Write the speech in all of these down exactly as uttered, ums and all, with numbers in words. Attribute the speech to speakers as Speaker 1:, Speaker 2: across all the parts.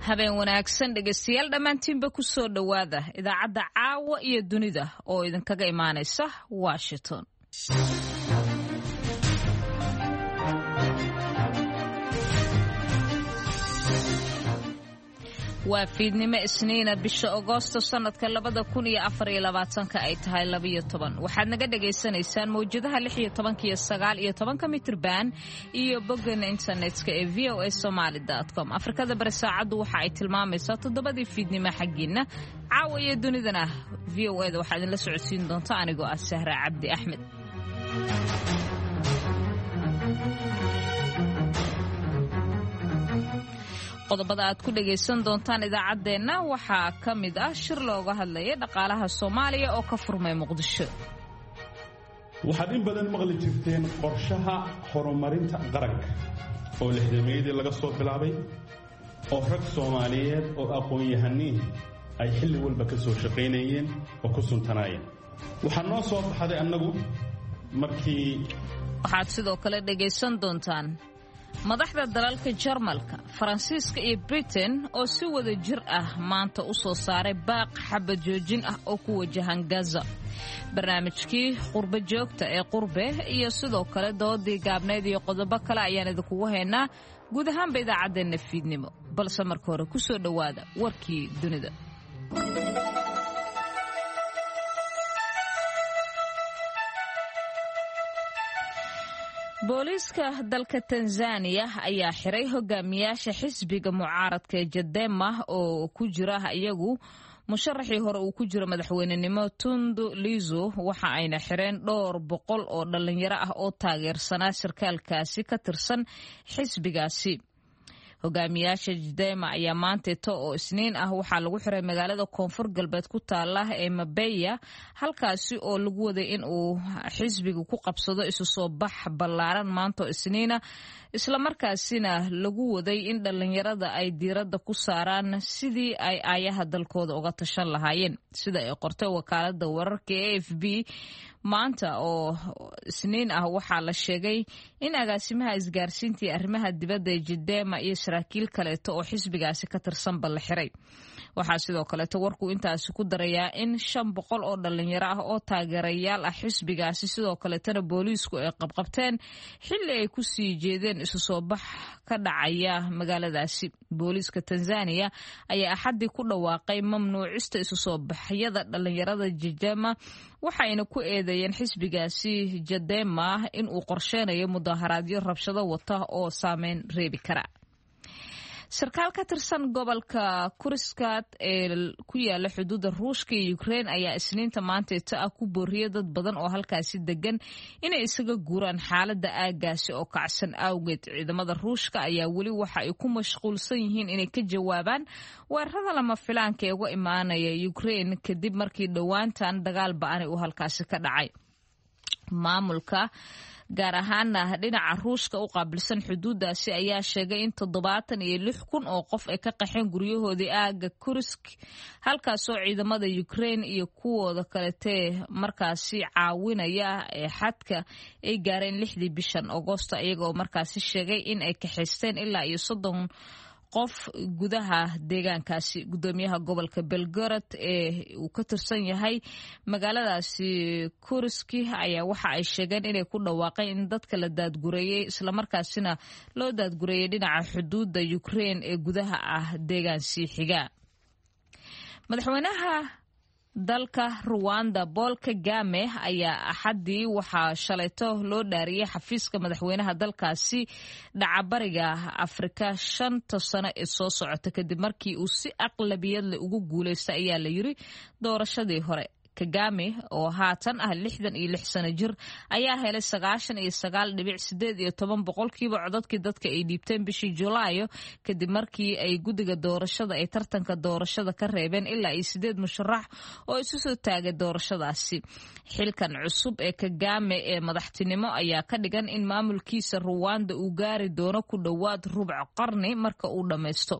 Speaker 1: Habeen wanaagsan dhegeystayaal dhammaantiinba, ku soo dhowaada idaacadda caawa iyo dunida oo idinkaga imaanaysa Washington. Waa fiidnimo Isniina, bisha Agoosto sanadka labada kun iyo afar iyo labaatanka ay tahay labiyo toban. Waxaad naga dhagaysanaysaan mawjadaha lix iyo tobanka iyo sagaal iyo tobanka mitrban iyo boggeena internetka ee V O A Somaly com. Afrikada Bari saacaddu waxa ay tilmaamaysaa toddobadii fiidnimo xaggiina. Caawa iyo dunidana V O A da waxaa idinla socodsiin doonta anigoo ah Sahra Cabdi Axmed. Qodobada aad ku dhagaysan doontaan idaacaddeenna waxaa ka mid ah shir looga hadlaya dhaqaalaha Soomaaliya oo ka furmay Muqdisho.
Speaker 2: Waxaad in badan maqli jirteen qorshaha horumarinta qaranka oo lixdameeyadii laga soo bilaabay, oo rag Soomaaliyeed oo aqoon-yahaniin ay xilli walba ka soo shaqaynayeen oo ku suntanaayeen. Waxaa noo soo baxday annagu markii
Speaker 1: Waxaad sidoo kale dhagaysan doontaan madaxda dalalka Jarmalka, Faransiiska iyo Britain oo si wada jir ah maanta u soo saaray baaq xabad joojin ah oo ku wajahan Gaza, barnaamijkii qurbo joogta ee Qurbe iyo sidoo kale doodii gaabnayd iyo qodobo kale ayaan idinkugu haynaa guud ahaanba idaacaddeenna fiidnimo, balse marka hore ku soo dhowaada warkii dunida. Booliiska dalka Tanzaniya ayaa xiray hogaamiyaasha xisbiga mucaaradka ee Chadema oo ku jira iyagu musharaxii hore uu ku jiro madaxweynenimo Tundu Lizo. Waxa ayna xireen dhowr boqol oo dhalinyaro ah oo taageersanaa sarkaalkaasi ka tirsan xisbigaasi. Hogaamiyaasha Chadema ayaa maanteeto oo Isniin ah waxaa lagu xiray magaalada koonfur galbeed ku taala ee Mabeya, halkaasi oo lagu waday in uu xisbiga ku qabsado isu soo bax ballaaran maanta oo Isniina, islamarkaasina lagu waday in dhalinyarada ay diiradda ku saaraan sidii ay aayaha dalkooda uga tashan lahaayeen. Sida ay qortay wakaalada wararka ee A F P, maanta oo Isniin ah waxaa la sheegay in agaasimaha isgaarsiinta iyo arrimaha dibadda ee Chadema iyo saraakiil kaleeto oo xisbigaasi ka tirsanba la xiray. Waxaa sidoo kaleeto warku intaasi ku darayaa in shan boqol oo dhalinyaro ah oo taageerayaal ah xisbigaasi sidoo kaleetana booliisku ay qabqabteen xilli ay ku sii jeedeen isu soo bax ka dhacaya magaaladaasi. Booliiska Tanzaniya ayaa Axaddii ku dhawaaqay mamnuucista isu soo baxyada dhalinyarada Chadema, waxayna ku eedeeyeen xisbigaasi Chadema in uu qorsheynayo mudaharaadyo rabshado wata oo saameyn reebi kara. Sarkaal ka tirsan gobolka Kursk ee ku yaala xuduudda Ruushka iyo Ukrein ayaa Isniinta maanteeta ah ku booriyay dad badan oo halkaasi degan inay isaga guuraan xaaladda aagaasi oo kacsan awgeed. Ciidamada Ruushka ayaa weli waxa ay ku mashquulsan yihiin inay ka jawaabaan weerarada lama filaanka ee uga imaanaya Ukrein kadib markii dhowaantan dagaal ba-ani uu halkaasi ka dhacay. Maamulka gaar ahaana dhinaca Ruushka u qaabilsan xuduuddaasi ayaa sheegay in toddobaatan iyo lix kun oo qof ay ka qaxeen guryahoodii aaga Kursk, halkaasoo ciidamada Ukrein iyo kuwooda kaletee markaasi caawinaya ee xadka ay gaareen lixdii bishan Agoosto, iyagaoo markaasi sheegay in ay kaxaysteen ilaa iyo soddon qof gudaha deegaankaasi. Gudoomiyaha gobolka Belgorod ee uu ka tirsan yahay magaaladaasi Kursk ayaa waxa ay sheegeen inay ku dhawaaqeen in dadka la daadgureeyey, islamarkaasina loo daadgureeyey dhinaca xuduudda Ukrein ee gudaha ah deegaan sii xiga. Madaxweynaha dalka Ruwanda Paul Kagame ayaa Axaddii waxaa shalayto loo dhaariyey xafiiska madaxweynaha dalkaasi dhacabariga Afrika shanta sano ee soo socota, kadib markii uu si aqlabiyad leh ugu guuleystay, ayaa la yiri, doorashadii hore. Kagame oo haatan ah lixdan iyo lix sano jir ayaa helay sagaashan iyo sagaal dhibic sideed iyo toban boqolkiiba codadkii dadka ay dhiibteen bishii Julaayo, kadib markii ay guddiga doorashada ay tartanka doorashada ka reebeen ilaa iyo sideed musharax oo isu soo taagay doorashadaasi. Xilkan cusub ee Kagame ee madaxtinimo ayaa ka dhigan in maamulkiisa Ruwanda uu gaari doono ku dhowaad rubc qarni marka uu dhammaysto.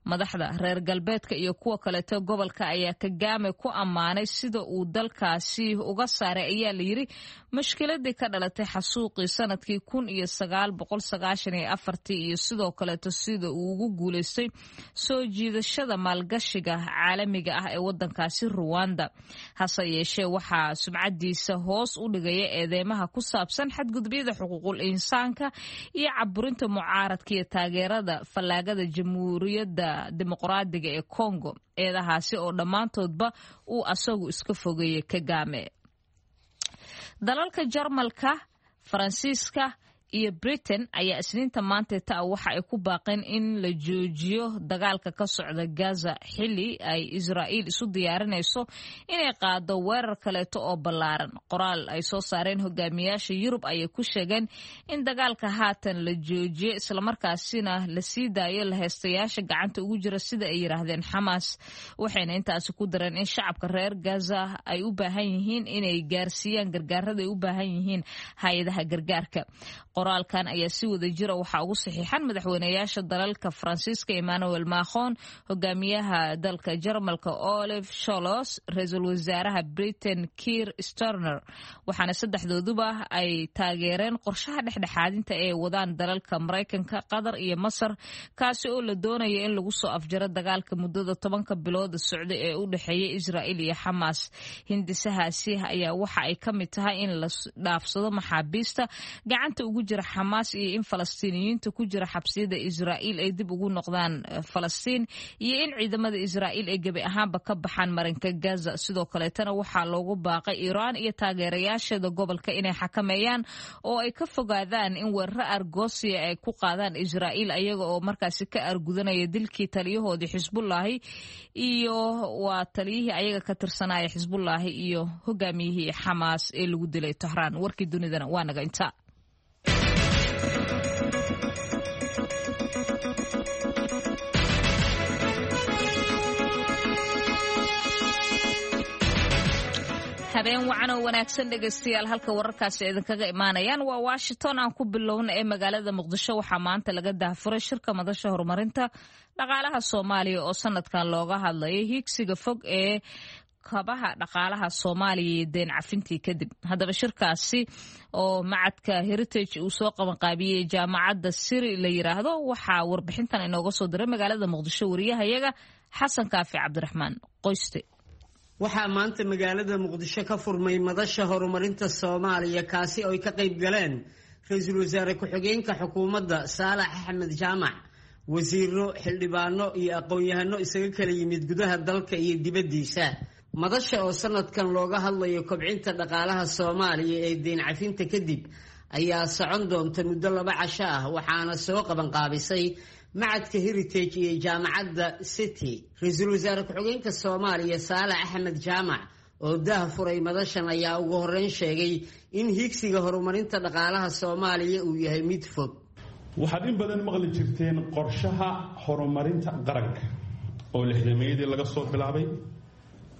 Speaker 1: Madaxda reer galbeedka iyo kuwa kaleeto gobolka ayaa Kagame ku ammaanay sida uu dalkaasi uga saaray, ayaa la yiri, mushkiladii ka dhalatay xasuuqii sanadkii kun iyo sagaal boqol sagaashan iyo afartii iyo sidoo kaleeto sida uu ugu guuleystay soo jiidashada maalgashiga caalamiga ah ee wadankaasi Ruwanda. Hase yeeshee, waxaa sumcadiisa hoos u dhigaya eedeymaha ku saabsan xadgudubyada xuquuqul insaanka iyo caburinta mucaaradka iyo taageerada fallaagada Jamhuuriyadda Dimuqraadiga ee Congo, eedahaasi oo dhammaantoodba uu asagu iska fogeeyey Kagame. Dalalka Jarmalka, Faransiiska iyo Britain ayaa Isniinta maanteta waxa ay ku baaqeen in la joojiyo dagaalka ka socda Gaza, xili ay Israa'iil isu diyaarinayso inay qaado weerar kaleeto oo ballaaran. Qoraal ay soo saareen hogaamiyaasha Yurub ayay ku sheegeen in dagaalka haatan la joojiyo, islamarkaasina la sii daayo laheystayaasha gacanta ugu jira, sida ay yiraahdeen, Xamaas. Waxayna intaasi ku dareen in shacabka reer Gaza ay u baahan yihiin inay gaarsiiyaan gargaarada ay u baahan yihiin hay-adaha gargaarka. Qoraalkan ayaa si wada jira waxaa ugu saxiixan madaxweynayaasha dalalka Faransiiska Emmanuel Macron, hogaamiyaha dalka Jarmalka Olaf Scholz, ra-iisul wasaaraha Britain Keir Starmer, waxaana saddexdooduba ay taageereen qorshaha dhexdhexaadinta ee wadaan dalalka Maraykanka, Qatar iyo Masar, kaasi oo la doonaya in lagu soo afjaro dagaalka muddada tobanka bilooda socda ee u dhexeeya Israa'iil iyo Xamaas. Hindisahaasi ayaa waxa ay ka mid tahay in la dhaafsado maxaabiista gacanta ugu jira Xamaas iyo in Falastiiniyiinta ku jira xabsiyada Israa'iil ay dib ugu noqdaan Falastiin iyo in ciidamada Israa'iil ay gebi ahaanba ka baxaan marinka Gaza. Sidoo kaleetana waxaa loogu baaqay Iiraan iyo taageerayaasheeda gobolka inay xakameeyaan oo ay ka fogaadaan in weeraro argosiya ay ku qaadaan Israa'iil, ayaga oo markaasi ka argudanaya dilkii taliyahoodii Xisbullaahi iyo waa taliyihii ayaga ka tirsanaya Xisbullaahi iyo hogaamiyihii Xamaas ee lagu dilay Tahraan. Warkii dunidana waa naga inta. Habeen wacan oo wanaagsan, dhegaystayaal. Halka wararkaasi idinkaga imaanayaan waa Washington. Aan ku bilowna ee magaalada Muqdisho waxaa maanta laga daahfuray shirka Madasha Horumarinta Dhaqaalaha Soomaaliya oo sanadkan looga hadlayay hiigsiga fog ee kabaha dhaqaalaha Soomaaliya iyo deen cafintii kadib. Haddaba, shirkaasi oo macadka Heritage uu soo qabanqaabiyey jaamacadda Siri la yiraahdo, waxaa warbixintan inooga soo diray magaalada Muqdisho wariyahayaga Xasan Kaafi Cabdiraxmaan Qoyste.
Speaker 3: Waxaa maanta magaalada Muqdisho ka furmay Madasha Horumarinta Soomaaliya, kaasi oo ay ka qayb galeen ra-iisul wasaare ku-xigeenka xukuumadda Saalax Axmed Jaamac, wasiiro, xildhibaano iyo aqoon-yahano isaga kala yimid gudaha dalka iyo dibaddiisa. Madasha oo sanadkan looga hadlayo kobcinta dhaqaalaha Soomaaliya ee deyn cafinta kadib ayaa socon doonta muddo laba casho ah, waxaana soo qabanqaabisay macadka Heritage iyo jaamacadda City. Ra-iisul wasaare ku-xigeenka Soomaaliya Saalax Axmed Jaamac oo daah furay madashan ayaa ugu horeyn sheegay in hiigsiga horumarinta dhaqaalaha Soomaaliya uu yahay mid fog.
Speaker 2: Waxaad in badan maqli jirteen qorshaha horumarinta qaranka oo lixdameeyadii laga soo bilaabay,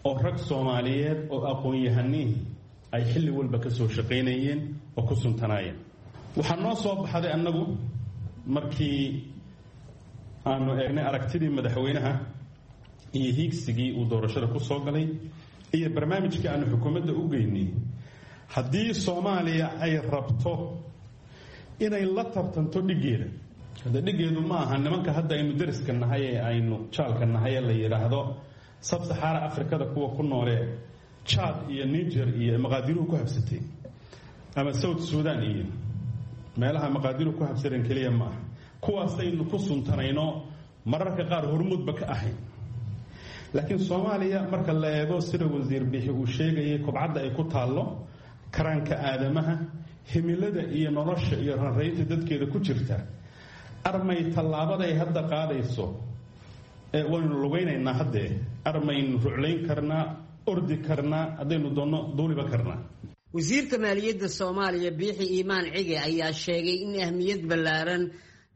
Speaker 2: oo rag Soomaaliyeed oo aqoon-yahanihii ay xilli walba ka soo shaqaynayeen oo ku suntanaayeen. Waxaa noo soo baxday annagu markii aanu eegnay aragtidii madaxweynaha iyo hiigsigii uu doorashada ku soo galay iyo barnaamijkii aanu xukuumadda u geynay, haddii Soomaaliya ay rabto inay la tartanto dhiggeeda. Hadda dhiggeedu ma aha nimanka hadda aynu dariska nahay ee aynu jaalka nahay ee la yidhaahdo Sabsaxaara Afrikada kuwa ku noolee Jaad iyo Niger iyo maqaadiruhu ku habsatay ama South Sudan iyo meelaha maqaadiruhu ku habsadeen keliya ma aha. Kuwaasaynu ku suntanayno, mararka qaar hormuudba ka ahayn. Laakiin Soomaaliya marka la eego, sida wasiir Bixi uu sheegayay, kobcadda ay ku taallo, karaanka aadamaha, himilada iyo nolosha iyo ranraynta dadkeeda ku jirta, armay tallaabaday hadda qaadayso ee waynu lugaynaynaa haddee, armaynu ruclayn karnaa, ordi karnaa, haddaynu doonno duuliba karnaa.
Speaker 3: Wasiirka maaliyadda Soomaaliya Biixi Iimaan Cige ayaa sheegay in ahmiyad ballaaran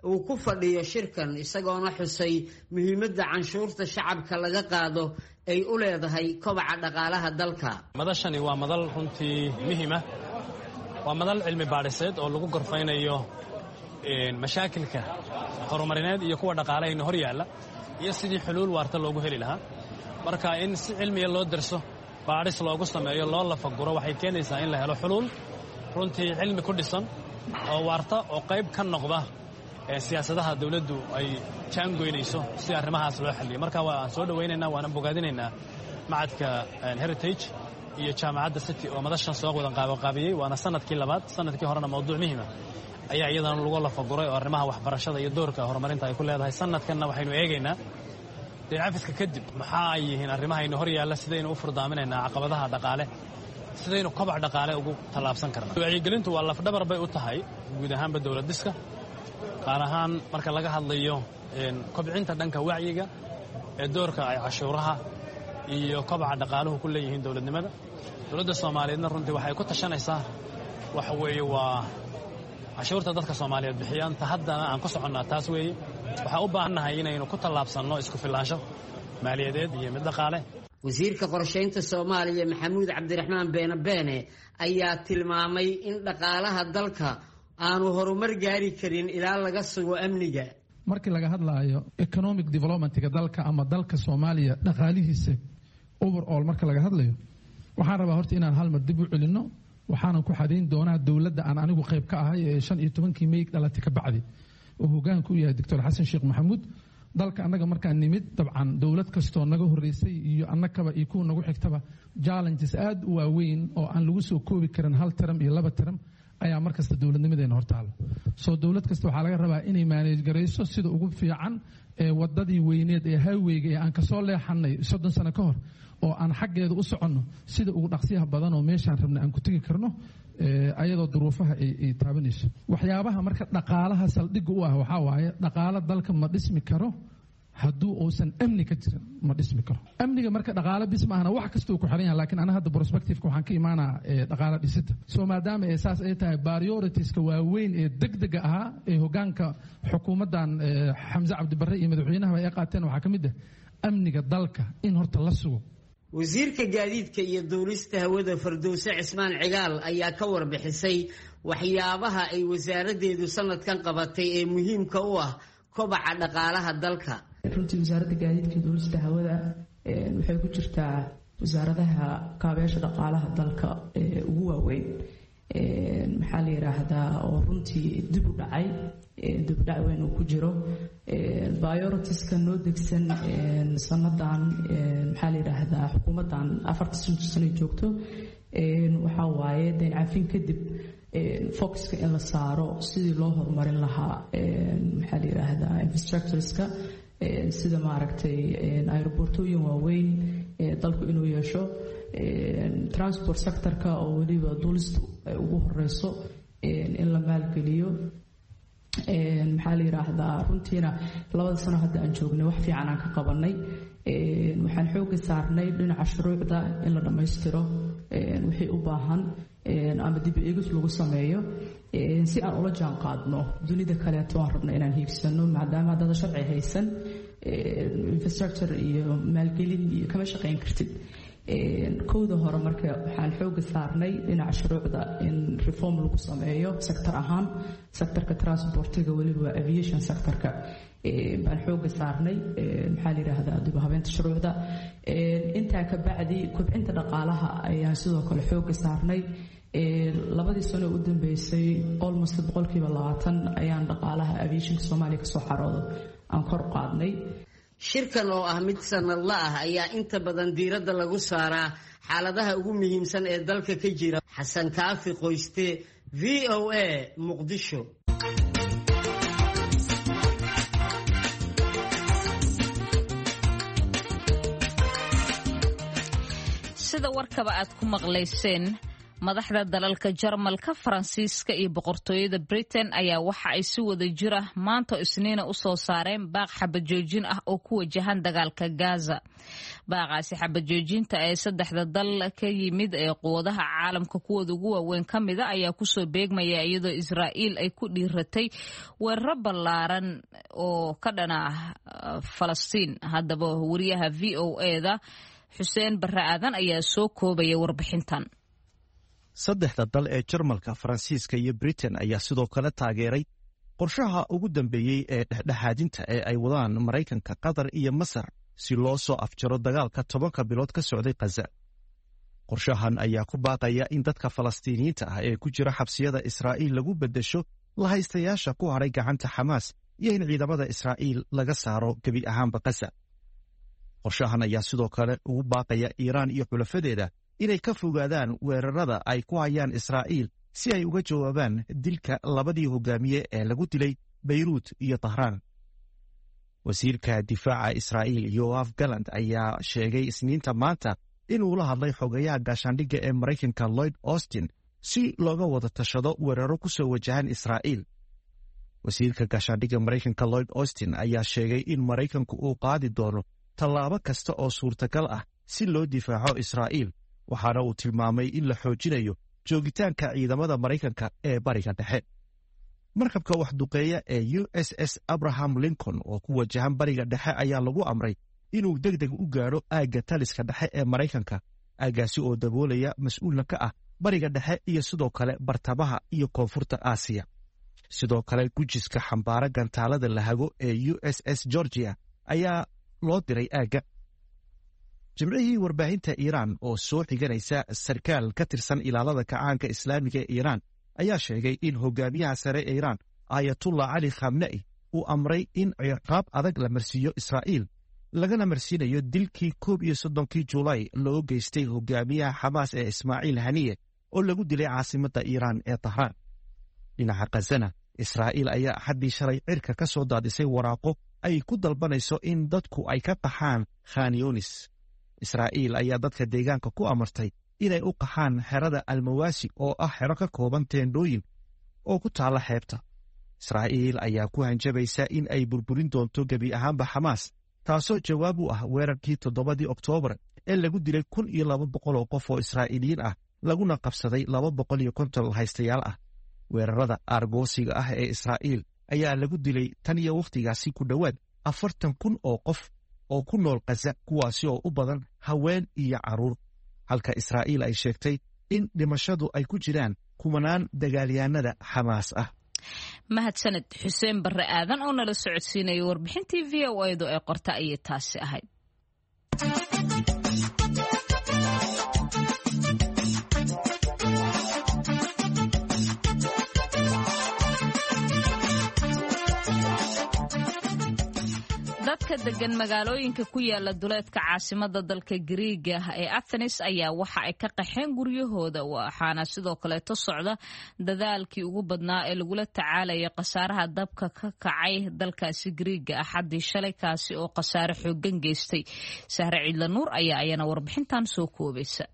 Speaker 3: uu ku fadhiyo shirkan, isagoona xusay muhiimadda canshuurta shacabka laga qaado ay u leedahay kobaca dhaqaalaha dalka.
Speaker 4: Madashani waa madal runtii muhiima, waa madal cilmi baadhiseed oo lagu gorfaynayo mashaakilka horumarineed iyo kuwa dhaqaalahayna hor yaalla. Iyo sidii xuluul waarta loogu heli lahaa. Marka in si cilmiya loo darso, baadhis loogu sameeyo, loo lafaguro, waxay keenaysaa in la helo xuluul runtii cilmi ku dhisan oo waarta oo qayb ka noqda siyaasadaha dowladdu ay jaangoynayso si arrimahaas loo xalliyo. Marka waan soo dhowaynaynaa, waana bogaadinaynaa macadka Heritage iyo Jaamacadda City oo madashan soo wadan qaabaqaabiyey. Waana sanadkii labaad. Sanadkii horena mawduuc muhiima ayaa iyadana lagu lafaguray oo arrimaha waxbarashada iyo doorka horumarinta ay ku leedahay. Sanadkanna waxaynu eegaynaa deen cafiska kadib maxaa ay yihiin arrimahaynu hor yaalla, sidaynu u furdaaminaynaa caqabadaha dhaqaale, sidaynu kobac dhaqaale ugu tallaabsan karnaa. Wacyigelintu waa lafdhabar bay u tahay guud ahaanba dowlad dhiska, qaar ahaan marka laga hadlayo kobcinta dhanka wacyiga ee doorka ay cashuuraha iyo kobaca dhaqaaluhu ku leeyihiin dowladnimada. Dowladda Soomaaliyeedna runtii waxay ku tashanaysaa waxa weeye waa cashuurta dadka Soomaaliyeed bixiyaan. Ta haddana aan ku soconnaa taas weeye. Waxaan u baahannahay inaynu ku tallaabsanno isku filaansho maaliyadeed iyo mid dhaqaale.
Speaker 3: Wasiirka qorshaynta Soomaaliya Maxamuud Cabdiraxmaan Beene Beene ayaa tilmaamay in dhaqaalaha dalka aanu horumar gaari karin ilaa laga sugo amniga.
Speaker 5: Markii laga hadlaayo economic developmentga dalka ama dalka Soomaaliya dhaqaalihiisa overall marka laga hadlayo, waxaan rabaa horta inaan hal mar dib u celinno. Waxaanan ku xadayn doonaa dowladda aan anigu qayb ka ahay ee shan iyo tobankii May dhalatay ka bacdi oo hogaanku u yahay Doctor Xasan Sheekh Maxamuud. Dalka annaga markaan nimid, dabcan dowlad kastoo naga horreysay iyo annakaba iyo kuwa nagu xigtaba, challenges aad u waaweyn oo aan lagu soo koobi karin hal taram iyo laba taram ayaa markasta dowladnimadeena hortaalo. Soo dowlad kasta waxaa laga rabaa inay maaneej garayso sida ugu fiican ee wadadii weyneed ee highwayga ee aan kasoo leexanay soddon sano ka hor oo aan xaggeeda u soconno sida ugu dhaqsiyaha badan oo meeshaan rabna aan ku tegi karno, ayadoo duruufaha ay taabanayso. Waxyaabaha marka dhaqaalaha saldhigga u ah waxaa waaye, dhaqaalo dalka ma dhismi karo hadduu uusan amni ka jirin, ma dhismi karo. Amniga marka dhaqaalo bis maahna, wax kastuu ku xiran yahay, laakiin ana hadda prospectiveka waxaan ka imaanaa dhaqaalo dhisida. Soo maadaama ee saas ay tahay, prioritiska waaweyn ee degdega ahaa ee hogaanka xukuumaddan Xamse Cabdibarre iyo madaxweynahaba ay qaateen waxaa ka mid ah amniga dalka in horta la sugo.
Speaker 3: Wasiirka gaadiidka iyo duulista hawada Fardowse Cismaan Cigaal ayaa ka warbixisay waxyaabaha ay wasaaraddeedu sanadkan qabatay ee muhiimka u ah kobaca dhaqaalaha dalka.
Speaker 6: Runtii wasaaradda gaadiidka iyo duulista hawada waxay ku jirtaa wasaaradaha kaabeyaasha dhaqaalaha dalka ee ugu waaweyn, maxaa la yiraahdaa, oo runtii dib u dhacay, dib u dhac weyn uu ku jiro. Prioritiska noo degsan sanadan, maxaa la yiraahdaa, xukuumaddan afarta sano joogto waxaa waaye deyn cafin kadib focuska in la saaro sidii loo horumarin lahaa, maxaa la yiraahdaa, infrastructureska, sida maaragtay aerobortooyin waaweyn dalku inuu yeesho, transport sectorka oo weliba duulistu ay ugu horeyso in la maalgeliyo. Maxaa la yiraahdaa, runtiina labada sano hadda aan joognay wax fiican aan ka qabanay. Waxaan xooga saarnay dhinaca shuruucda in la dhammaystiro wixii u baahan ama dib eegis lagu sameeyo si aan ula jaan qaadno dunida kaleeto aan rabno inaan hiigsano, maadaama haddaadan sharci haysan infrastructure iyo maalgelin iyo kama shaqayn kartid. Kowda hore marka waxaan xooga saarnay dhinaca shuruucda in reform lagu sameeyo sector ahaan, sectorka transportiga, weliba aviation sectorka baan xooga saarnay, maxaa la yiraahdaa, dib u habeynta shuruucda. Intaa ka bacdi kobcinta dhaqaalaha ayaan sidoo kale xooga saarnay. Labadii sano u dambeysay almost boqolkiiba labaatan ayaan dhaqaalaha aviationka Soomaaliya kasoo xaroodo aan kor u qaadnay.
Speaker 3: Shirkan oo ah mid sanadla ah ayaa inta badan diiradda lagu saaraa xaaladaha ugu muhiimsan ee dalka ka jira. Xasan Kaafi Qoyste, V O A, Muqdisho.
Speaker 1: Sida warkaba aad ku maqlayseen, madaxda dalalka Jarmalka, Faransiiska iyo boqortooyada Britain ayaa waxa ay si wada jira maanta Isniina u soo saareen baaq xabajoojin ah oo ku wajahan dagaalka Gaza. Baaqaasi xabajoojinta ee saddexda dal ka yimid ee quwadaha caalamka kuwooda ugu waaweyn ka mida ayaa kusoo beegmaya iyadoo Israa'iil ay ku dhiiratay weeraro ballaaran oo ka dhana ah Falastiin. Haddaba wariyaha V O A-da Xuseen Barre Aadan ayaa soo koobaya warbixintan.
Speaker 7: Saddexda dal ee Jarmalka, Faransiiska iyo Britain ayaa sidoo kale taageeray Qorshaha ugu dambeeyey ee dhexdhexaadinta ee ay wadaan Maraykanka, Qatar iyo Masar si loo soo afjaro dagaalka tobanka bilood ka socday Khaza. Qorshahan ayaa ku baaqaya in dadka Falastiiniyiinta ah ee ku jira xabsiyada Israa'iil lagu beddesho lahaystayaasha ku hadhay gacanta Xamaas iyo in ciidamada Israa'iil laga saaro gebi ahaanba Khaza. Qorshahan ayaa sidoo kale ugu baaqaya Iiraan iyo xulafadeeda inay ka fogaadaan weerarada ay ku hayaan Israa'iil si ay uga jawaabaan dilka labadii hogaamiye ee lagu dilay Bayruut iyo Tahraan. Wasiirka difaaca Israa'iil Yoaf Galand ayaa sheegay Isniinta maanta inuu la hadlay xogayaha gaashaandhigga ee Maraykanka Lloyd Austin si looga wada tashado weeraro ku soo wajahan Israa'iil. Wasiirka gaashaandhigga Maraykanka Lloyd Austin ayaa sheegay in Maraykanku uu qaadi doono tallaabo kasta oo suurtagal ah si loo difaaco Israa'iil, waxaana uu tilmaamay in la xoojinayo joogitaanka ciidamada Maraykanka ee Bariga Dhexe. Markabka waxduqeeya ee U S S Abraham Lincoln oo ku wajahan Bariga Dhexe ayaa lagu amray inuu deg deg u gaadho aagga taliska dhexe ee Maraykanka, aaggaasi oo daboolaya mas-uulna ka ah Bariga Dhexe iyo sidoo kale bartamaha iyo koonfurta Aasiya. Sidoo kale gujiska xambaara gantaalada lahago ee U S S Georgia ayaa loo diray aagga. Jimcihii, warbaahinta Iiraan oo soo xiganaysa sarkaal ka tirsan ilaalada kacaanka islaamiga ee Iiraan ayaa sheegay in hogaamiyaha sare ee Iiraan Aayatullah Cali Khamna'i uu amray in ciqaab adag la marsiiyo Israa'iil, lagana marsiinayo dilkii koob iyo soddonkii Juulaay loo geystay hogaamiyaha Xamaas ee Ismaaciil Haniye oo lagu dilay caasimadda Iiraan ee Tahraan. Dhinaca Khazana, Israa'iil ayaa Axaddii shalay cirka ka soo daadisay waraaqo ay ku dalbanayso in dadku ay ka qaxaan Khanyonis. Israa'iil ayaa dadka deegaanka ku amartay inay u qaxaan xerada Almawaasi oo ah xero ka kooban teendhooyin oo ku taalla xeebta. Israa'iil ayaa ku hanjabaysa in ay burburin doonto gebi ahaanba Xamaas, taasoo jawaab u ah weerarkii toddobadii Oktoobar ee lagu dilay kun iyo laba boqol oo qof oo Israa'iiliyiin ah, laguna qabsaday laba boqol iyo konton haystayaal ah. Weerarada aargoosiga ah ee Israa'iil ayaa lagu dilay tan iyo wakhtigaasi ku dhowaad afartan kun oo qof oo ku nool Khaza, kuwaasi oo u badan haween iyo carruur, halka Israa'iil ay sheegtay in dhimashadu ay ku jiraan kumanaan dagaalyahanada Xamaas ah.
Speaker 1: Mahadsaned Xuseen Barre Aadan oo nala socodsiinaya warbixintii V O A-du ee qorta ayay taasi ahayd. Dadka degan magaalooyinka ku yaala duleedka caasimada dalka Gariiga ee Athens ayaa waxa ay ka qaxeen guryahooda, waxaana sidoo kaleeto socda dadaalkii ugu badnaa ee lagula tacaalaya khasaaraha dabka ka kacay dalkaasi Gariiga Axaddii shalay, kaasi oo khasaare xoogan geystay. Sahre Ciidla Nuur ayaa ayana warbixintan soo koobaysa.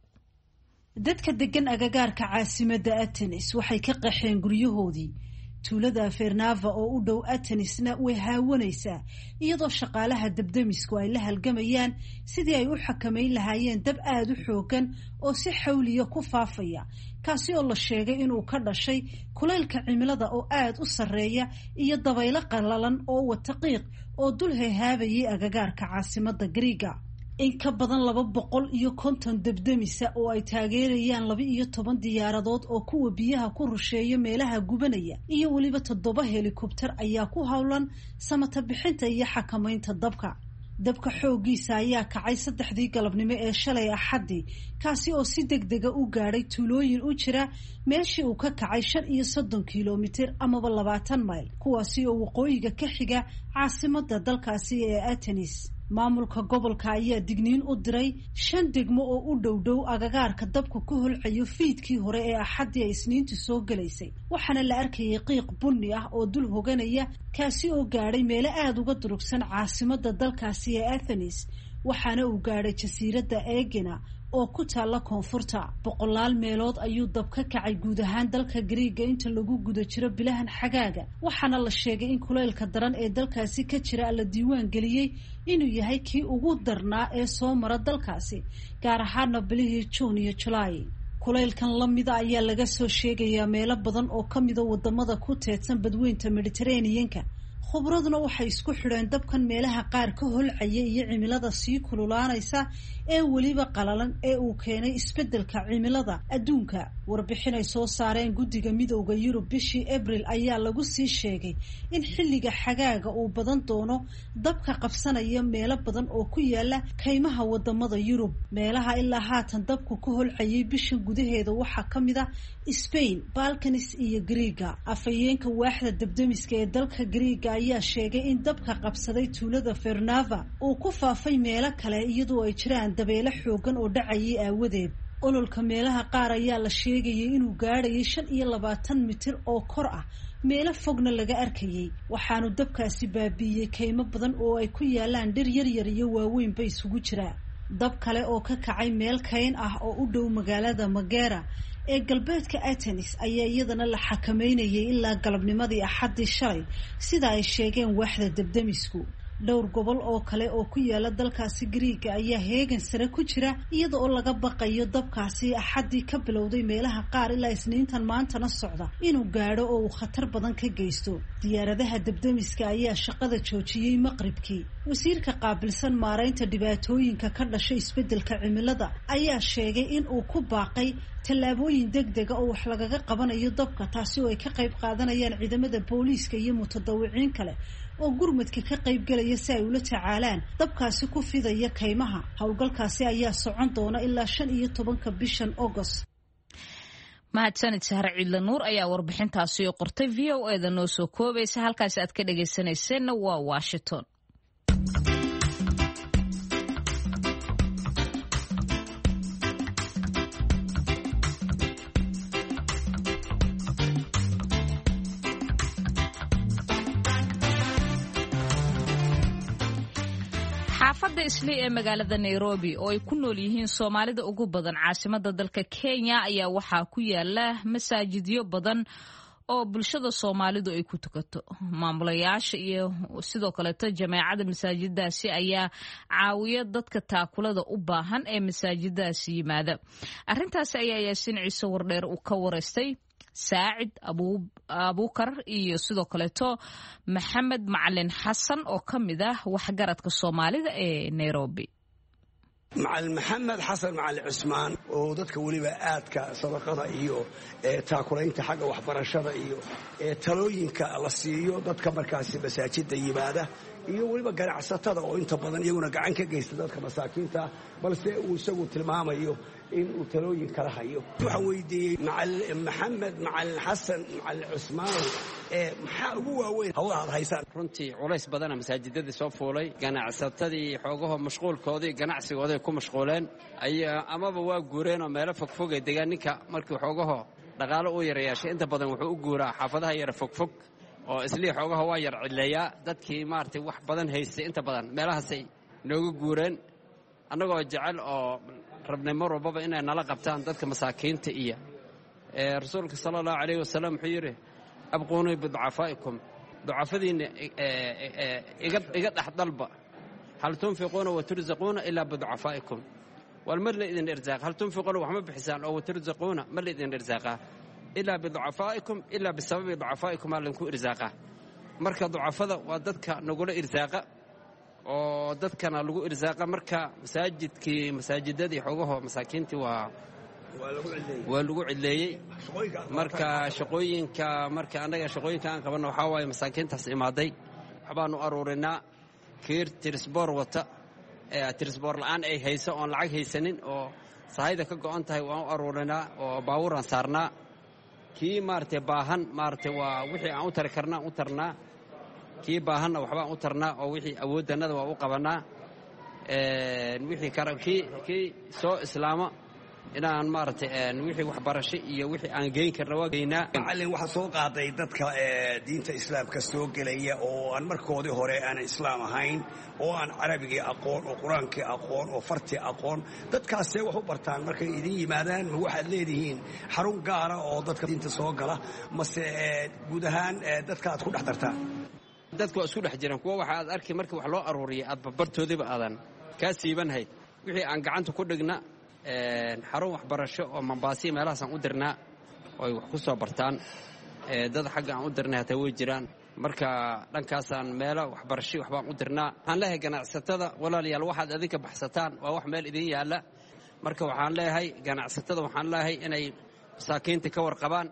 Speaker 8: Dadka degan agagaarka caasimada Athens waxay ka qaxeen guryahoodii. Tuulada Fernava oo u dhow Atenisna way haawanaysaa, iyadoo shaqaalaha dabdamisku ay la halgamayaan sidii ay u xakamayn lahaayeen dab aada u xoogan oo si xawliya ku faafaya, kaasi oo la sheegay inuu ka dhashay kulaylka cimilada oo aada u sarreeya iyo dabaylo qallalan oo wata qiiq oo dul heehaabayay agagaarka caasimadda Gariiga. In ka badan laba boqol iyo konton debdemisa oo ay taageerayaan laba iyo toban diyaaradood oo kuwa biyaha ku rusheeya meelaha gubanaya iyo weliba toddoba helikobter ayaa ku howlan samata bixinta iyo xakamaynta dabka. Dabka xooggiisa ayaa kacay saddexdii galabnimo ee shalay Axaddii, kaasi oo si degdega u gaadhay tuulooyin u jira meeshii uu ka kacay shan iyo soddon kilomitir amaba labaatan mayl, kuwaasi oo waqooyiga ka xiga caasimadda dalkaasi ee Atenis. Maamulka gobolka ayaa digniin u diray shan degmo oo u dhow dhow agagaarka dabku ka holcayo fiidkii hore ee Axaddii ay Isniintu soo gelaysay, waxaana la arkayay qiiq bunni ah oo dul hoganaya, kaasi oo gaadhay meelo aada uga durugsan caasimadda dalkaasi ee Athenis, waxaana uu gaadhay jasiiradda Egina oo ku taalla koonfurta. Boqolaal meelood ayuu dab ka kacay guud ahaan dalka Gariiga inta lagu guda jiro bilahan xagaaga, waxaana la sheegay in kulaylka daran ee dalkaasi ka jira la diiwaan geliyey inuu yahay kii ugu darnaa ee soo mara dalkaasi, gaar ahaana bilihii Juun iyo Julaay. Kulaylkan lamida ayaa laga soo sheegayaa meelo badan oo ka mida wadamada ku teedsan badweynta Mediterranean-ka. Khubraduna waxay isku xidheen dabkan meelaha qaar ka holcaya iyo cimilada sii kululaanaysa ee weliba qalalan ee uu keenay isbeddelka cimilada adduunka. Warbixin ay soo saareen guddiga midowda Yurub bishii Abril ayaa lagu sii sheegay in xilliga xagaaga uu badan doono dabka qabsanaya meelo badan oo ku yaala kaymaha wadamada Yurub. Meelaha ilaa haatan dabku ka holcayay bishan gudaheeda waxaa ka mid ah Spain, Balkans iyo Greega. Afhayeenka waaxda dabdemiska ee dalka Greega ayaa sheegay in dabka qabsaday tuulada Fernava uu ku faafay meelo kale iyadoo ay jiraan dabeelo xoogan oo dhacayay aawadeed. Ololka meelaha qaar ayaa la sheegayay inuu gaadhayay shan iyo labaatan mitir oo kor ah, meelo fogna laga arkayay. Waxaanu dabkaasi baabiiyey kaymo badan oo ay ku yaalaan dhir yaryar iyo waaweynba isugu jira. Dab kale oo ka kacay meel kayn ah oo u dhow magaalada Magera ee galbeedka Athens ayaa iyadana la xakameynayay ilaa galabnimadii Axaddii shalay, sida ay sheegeen waaxda dabdemisku. Dhowr gobol oo kale oo ku yaala dalkaasi Greega ayaa heegan sare ku jira iyada oo laga baqayo dabkaasi Axaddii ka bilowday meelaha qaar ilaa Isniintan maantana socda inuu gaadho oo uu khatar badan ka geysto. Diyaaradaha dabdemiska ayaa shaqada joojiyey maqribkii. Wasiirka qaabilsan maaraynta dhibaatooyinka ka dhashay isbeddelka cimilada ayaa sheegay in uu ku baaqay tallaabooyin degdega oo wax lagaga qabanayo dabka, taasi oo ay ka qayb qaadanayaan ciidamada booliiska iyo mutadawiciin kale oo gurmadka ka qayb galaya si ay ula tacaalaan dabkaasi ku fidaya kaymaha. Howlgalkaasi ayaa socon doona ilaa shan iyo tobanka bishan August.
Speaker 1: Mahadsanid Sahre Ciidla Nuur ayaa warbixintaasi oo qortay V O E da noo soo koobaysa. Halkaasi aad ka dhagaysanayseena waa Washington. Xaafadda Islii ee magaalada Nairobi oo ay ku nool yihiin Soomaalida ugu badan caasimada dalka Kenya ayaa waxaa ku yaala masaajidyo badan oo bulshada Soomaalidu ay ku tukato. Maamulayaasha iyo sidoo kaleeto jameecada masaajiddaasi ayaa caawiya dadka taakulada u baahan ee masaajiddaasi yimaada. Arrintaasi ayaa Yaasiin Ciise Wardheer uu ka wareystay Saacid Abuukar iyo sidoo kaleeto Maxamed Macalin Xasan oo ka mid ah waxgaradka Soomaalida ee Nairobi.
Speaker 9: Macalin Maxamed Xasan Macalin Cusmaan oo dadka weliba aadka sadaqada iyo taakulaynta xagga waxbarashada iyo talooyinka la siiyo dadka markaasi masaajidda yimaada iyo weliba ganacsatada oo inta badan iyaguna gacan ka geysta dadka masaakiinta, balse uu isagu tilmaamayo in uu talooyin kala hayo. Waxaan weydiiyey Macalin Maxamed Macalin Xasan Macalin Cusmaan maxaa ugu waaweyn hawlaha aad haysaan?
Speaker 10: Runtii culays badana masaajidadii soo fuulay, ganacsatadii xoogaho mashquulkoodii ganacsigooday ku mashquuleen, amaba waa guureen oo meelo fogfogay degaan. Ninka markii xoogaho dhaqaalo uu yarayeeshay inta badan wuxuu u guuraa xaafadaha yara fogfog oo Islii xoogaha waa yar cidleeyaa. Dadkii maaragtay wax badan haystay inta badan meelahaasay nooga guureen, annagoo jecel oo rabnay mar walbaba inay nala qabtaan dadka masaakiinta. Iyo rasuulka sala allahu calayhi wasalam wuxuu yidhi abquunii biducafaa'ikum, ducafadiinna iga dhex dalba. Hal tunfiquuna wa tursaquuna ilaa biducafaa'ikum, wal mar la idin irsaaq. Hal tunfiquuna wax ma bixisaan oo watursaquuna ma la idin irsaaqaa ilaa biducafaa'ikum, ilaa bisababi ducafaa'ikum aa laydinku irsaaqaa. Marka ducafada waa dadka nagula irsaaqa oo dadkana lagu irsaaqa. Marka masaajidkii masaajidadii xoogaho masaakiintii waa waa lagu cidleeyey. Marka shaqooyinka marka annaga shaqooyinka aan qabanno waxaa waaye masaakiintaas imaaday waxbaanu aruurinaa. Kiir tirisboor wata, tirisboor la'aan ay hayso oon lacag haysanin oo sahayda ka go'an tahay waan u aruurinaa oo baabuuraan saarnaa. Kii maaragtay baahan maaragtay waa wixii aan u tari karnaa u tarnaa, kii baahanna waxbaan u tarnaa oo wixii awooddannada waa u qabannaa. Wixii kara kii kii soo islaama inaan maaragtay wixii waxbarasho iyo wixii aan geyn karna waa geynaa.
Speaker 9: Macallin, waxaa soo qaaday dadka diinta islaamka soo gelaya oo aan markoodii hore aanan islaam ahayn oo aan carabigii aqoon oo qur-aankii aqoon oo fartii aqoon, dadkaasee wax u bartaan markay idin yimaadaan? Ma waxaad leedihiin xarun gaara oo dadka diinta soo gala, mase guud ahaan dadka aad ku dhex dartaan?
Speaker 10: Dadku waa isku dhex jiraan. Kuwa waxa aad arki markii wax loo aruuriyay aad barbartoodiiba aadan kaa siibanhayd. Wixii aan gacanta ku dhigna xarun waxbarasho oo Mambaasiya meelahaasaan u dirnaa oo ay wax ku soo bartaan. Dad xagga aan u dirnay hataa way jiraan. Marka dhankaasaan meelo waxbarasho waxbaan u dirnaa. Waxaan leeyahay ganacsatada, walaalayaal, waxaad adinka baxsataan waa wax meel idin yaalla. Marka waxaan leeyahay ganacsatada, waxaan leeyahay inay masaakiinta ka warqabaan,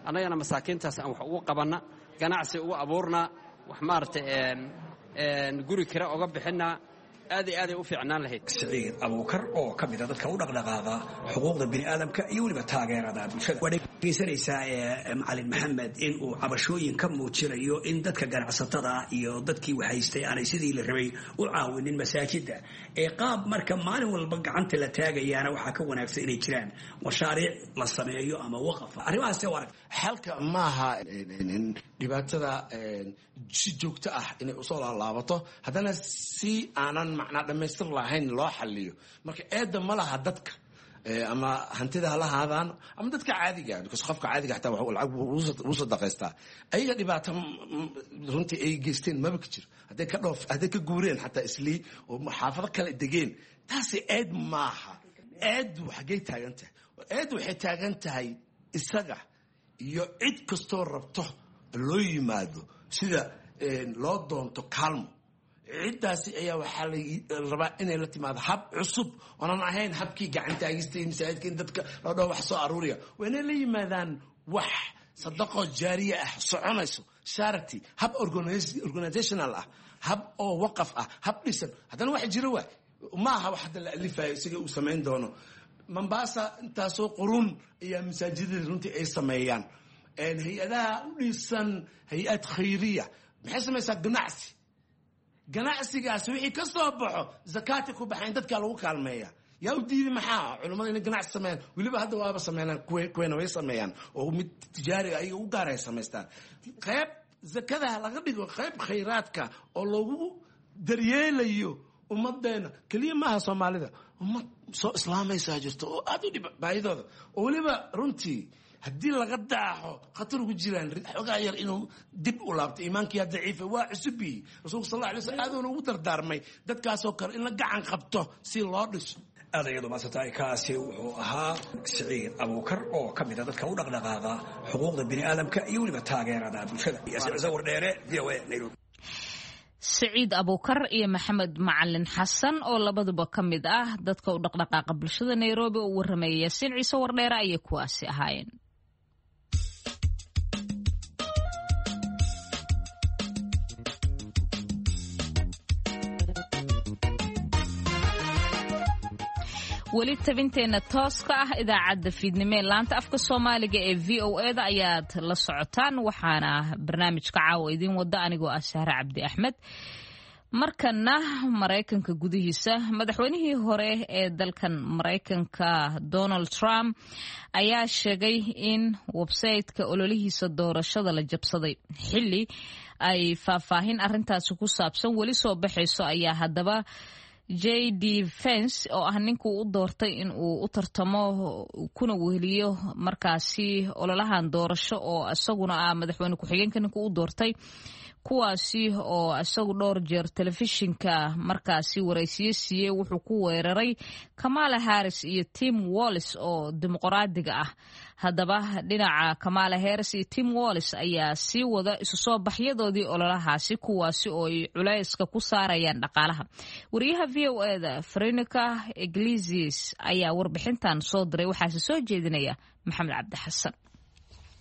Speaker 10: annagana masaakiintaas aan wax ugu qabanna, ganacsi ugu abuurnaa, wax maaragtay guri kira oga bixinnaa. Aad iyo aaday u fiicnaan lahayd.
Speaker 9: Siciid Abuukar oo ka mid a dadka u dhaqdhaqaaqa xuquuqda bini'aadamka iyo weliba taageerada bulshada. Waa dhegeysanaysaa Macalin Maxamed in uu cabashooyin ka muujinayo in dadka ganacsatada iyo dadkii waxhaystay aanay sidii la rabay u caawinin masaajida. Ee qaab marka maalin walba gacanta la taagayaana waxaa ka wanaagsan inay jiraan mashaariic la sameeyo ama waqaf. Arrimahaas waa arag.
Speaker 11: Xalka maaha dhibaatada si joogto ah inay usoo laalaabato, haddana si aanan macnaa dhammaystir lahayn loo xaliyo. Marka eedda ma laha dadka, ama hantida hala haadaan ama dadka caadiga, because qofka caadiga xataa lacag wuu sadaqaystaa. Ayaga dhibaato runtii ay geysteen maba ka jiro. Hadday ka dhoof, hadday ka guureen xataa islii oo xaafado kale degeen, taasi eed maaha. Eeddu xaggay taagan tahay? Eeddu waxay taagan tahay isaga iyo cid kastoo rabto loo yimaado sida loo doonto kaalmo. Ciddaasi ayaa waxaa la rabaa inay la timaado hab cusub oonan ahayn habkii gacantaagista iyo masaajidka in dadka loo dhaho wax soo aruuriya. Waa inay la yimaadaan wax sadaqo jaariya ah, soconayso, charity, hab organizational ah, hab oo waqaf ah, hab dhisan. Haddana wax jiro waay, maaha wax hadda la alifayo isaga uu samayn doono. Mombasa intaasoo qurun ayaa masaajidada runtii ay sameeyaan. Hay-adaha u dhisan hay-ad khayriya maxay samaysaa? Ganacsi. Ganacsigaas wixii ka soo baxo zakaati ku baxayn, dadkaa lagu kaalmeeya. Yaa u diiday? Maxaa culimmada inay ganacsi sameeyaan? Weliba hadda waaba sameynaan, kuweena way sameeyaan oo mid tijaariga ayaga u gaar ay samaystaan. Qayb zakadaha laga dhigo, qayb khayraadka oo loogu daryeelayo ummadeena. Keliya maaha Soomaalida, ummad soo islaamaysaa jirto oo aad u dhib baahidooda, oo weliba runtii haddii laga daaxo khatar ugu jiraan xoogaa yar inuu dib u laabto. Iimaankiyaa daciifa, waa cusubiyey. Rasuulka sal alla alay slam aaduuna ugu dardaarmay dadkaasoo kale in la gacan qabto si loo dhiso.
Speaker 9: Aad ayadu maadsantahay. Kaasi wuxuu ahaa Siciid Abuukar oo ka mid a dadka u dhaqdhaqaaqa xuquuqda bini'aadamka iyo weliba taageerada bulshada. Wardheere, V O A, Nairobi.
Speaker 1: Siciid Abuukar iyo Maxamed Macalin Xasan oo labaduba ka mid ah dadka u dhaqdhaqaaqa bulshada Nairobi oo warramaya Yaasiin Ciise Wardheere ayay kuwaasi ahaayeen. Weli tabinteenna tooska ah idaacadda fiidnimo ee laanta afka Soomaaliga ee V O E da ayaad la socotaan, waxaana barnaamijka caawa idiin wada anigoo ah Sahre Cabdi Axmed. Markana Maraykanka gudihiisa, madaxweynihii hore ee dalkan Maraykanka Donald Trump ayaa sheegay in websayte-ka ololihiisa doorashada la jabsaday. Xilli ay faahfaahin arintaasi ku saabsan weli soo baxayso ayaa haddaba J D Vance oo ah ninkuu u doortay in uu u tartamo kuna weheliyo markaasi ololahan doorasho, oo isaguna ah madaxweyne ku-xigeenka ninkuu u doortay, kuwaasi oo isagu dhowr jeer telefishinka markaasi waraysiyo siiyey, wuxuu ku weeraray Kamala Harris iyo Tim Walz oo dimuqraadiga ah. Haddaba dhinaca Kamala Harris iyo Tim Walz ayaa sii wada isu soo baxyadoodii ololahaasi, kuwaasi oo ay culayska ku saarayaan dhaqaalaha. Wariyaha V O E da Veronica Iglesias ayaa warbixintan soo diray, waxaase soo jeedinaya Maxamed Cabdi Xasan.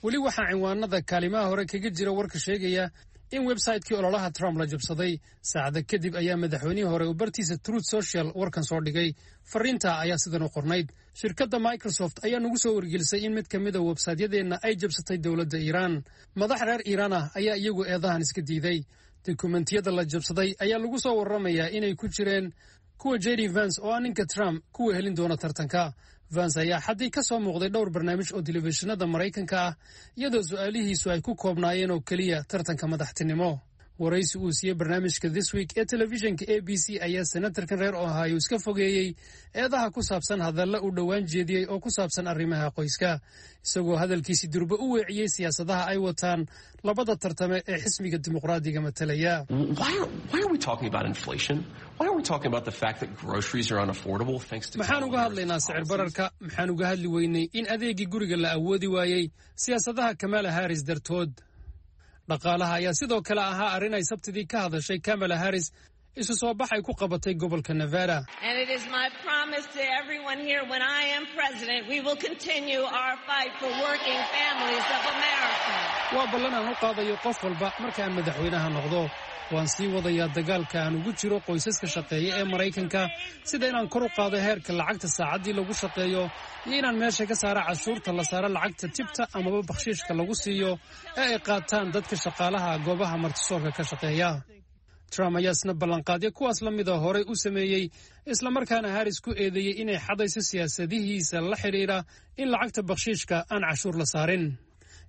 Speaker 12: Weli waxaa cinwaanada kaalimaha hore kaga jira warka sheegaya in websaytekii ololaha Trump la jabsaday. Saacada kadib ayaa madaxweynihii hore uu bartiisa Truth Social warkan soo dhigay. Fariinta ayaa sidan u qornayd: shirkadda Microsoft ayaa nagu soo wargelisay in mid ka mid a websaytyadeenna ay jabsatay dowladda Iiraan. Madax reer Iiraan ah ayaa iyagu eedahan iska diiday. Dukumentiyada la jabsaday ayaa lagu soo warramayaa inay ku jireen kuwa J D Vance oo ah ninka Trump kuwa helin doona tartanka. Vance ayaa xaddii ka soo muuqday dhowr barnaamij oo telefishinada Maraykanka ah, iyadoo su'aalihiisu ay ku koobnaayeen oo keliya tartanka madaxtinimo. Waraysi uu siiyey barnaamijka This Week ee telefishinka A B C ayaa senatarkan reer Ohio iska fogeeyey eedaha ku saabsan hadalla uu dhowaan jeediyey oo ku saabsan arrimaha qoyska, isagoo hadalkiisi durba u weeciyey siyaasadaha ay wataan labada tartame ee xisbiga dimuqraadiga matalaya. Maxaan uga hadlaynaa sicir bararka? Maxaan uga hadli weynay in adeegii guriga la awoodi waayey siyaasadaha Kamala Harris dartood? Dhaqaalaha ayaa sidoo kale ahaa arrin ay Sabtidii ka hadashay Kamala Harris isu soo bax ay ku qabatay gobolka Nevada.
Speaker 13: And it is my promise to everyone here, when I am president, we will continue our fight for working families of America.
Speaker 12: Waa ballan aan u qaadayo qof walba, markaan madaxweynaha noqdo waan sii wadayaa dagaalka aan ugu jiro qoysaska shaqeeya ee Maraykanka, sida inaan kor u qaado heerka lacagta saacaddii lagu shaqeeyo iyo inaan meesha ka saara cashuurta la saaro lacagta tibta amaba bakhshiishka lagu siiyo ee ay qaataan dadka shaqaalaha goobaha martisoorka ka shaqeeya. Trump ayaa isna ballanqaadyo kuwaas la mida horay u sameeyey, islamarkaana Harris ku eedeeyey inay xadayso siyaasadihiisa la xidhiidha in lacagta bakhshiishka aan cashuur la saarin.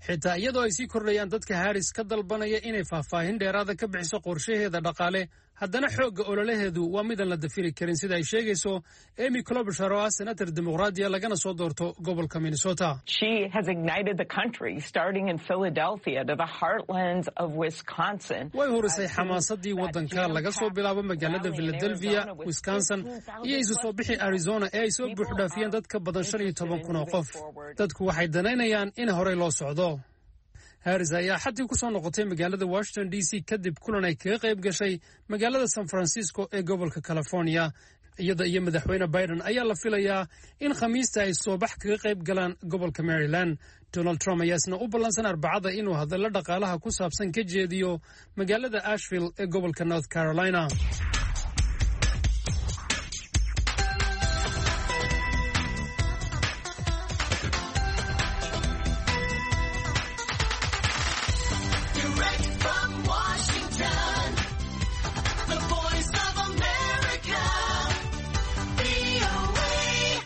Speaker 12: Xitaa iyadoo ay sii kordhayaan dadka Harris ka dalbanaya inay faahfaahin dheeraada ka bixiso qorshaheeda dhaqaale, haddana xoogga ololaheedu waa midaan la dafiri karin, sida ay sheegayso Amy Klobuchar oo ah senator dimuqraadiya lagana soo doorto gobolka Minnesota.
Speaker 14: She has ignited the country, starting in Philadelphia to the heartlands of Wisconsin.
Speaker 12: Way hurisay xamaasadii waddanka, laga soo bilaabo magaalada Philadelphia, Wisconsin iyo isu soo bixi Arizona ee ay soo buuxdhaafiyeen dad ka badan shan iyo toban kun oo qof. Dadku waxay danaynayaan in horey loo socdo. Harris ayaa xaddii ku soo noqotay magaalada Washington D C kadib kulan ay kaga qayb gashay magaalada San Francisco ee gobolka California. Iyada iyo Madaxweyne Biden ayaa la filayaa in Khamiista ay soobax kaga qayb galaan gobolka Maryland. Donald Trump ayaa isna u ballansan Arbacada inuu hadallo dhaqaalaha ku saabsan ka jeediyo magaalada Asheville ee gobolka North Carolina.
Speaker 15: Direct from Washington, the voice of America, V O A.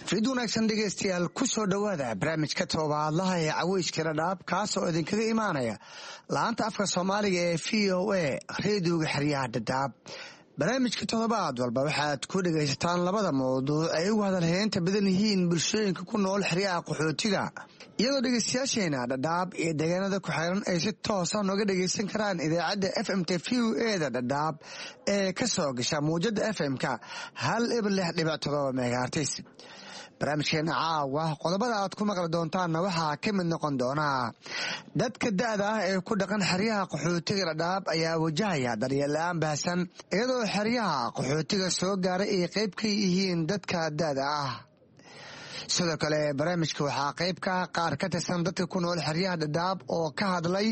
Speaker 16: Fid wanaagsan dhegaystayaal, ku soo dhowaada barnaamijka toddobaadlaha ee Caweyska Dhadhaab, kaas oo idinkaga imaanaya laanta afka Soomaaliga ee V O A, reediyoga xeryaha Dhadhaab. Barnaamijka toddobaad walba waxaad ku dhegaysataan labada mawduuc ay ugu hadalheynta badan yihiin bulshooyinka ku nool xeryaha qaxootiga, iyadoo dhegaystayaasheena Dhadhaab iyo deegaanada ku xeeran ay si toosa nooga dhegaysan karaan idaacadda F M T V O E da Dhadhaab ee ka soo gasha muwjada F M-ka hal eber lix dhibic todoba megahertz. Barnaamijkeena caawa qodobada aad ku maqli doontaanna waxaa ka mid noqon doonaa: dadka da'da ah ee ku dhaqan xeryaha qaxootiga Dhadhaab ayaa wajahaya daryeel la'aan baahsan, iyadoo xeryaha qaxootiga soo gaaray ay qayb ka yihiin dadka da'da ah. Sidoo kale barnaamijka waxaa qayb ka ah qaar ka tirsan dadka ku nool xeryaha Dhadhaab oo ka hadlay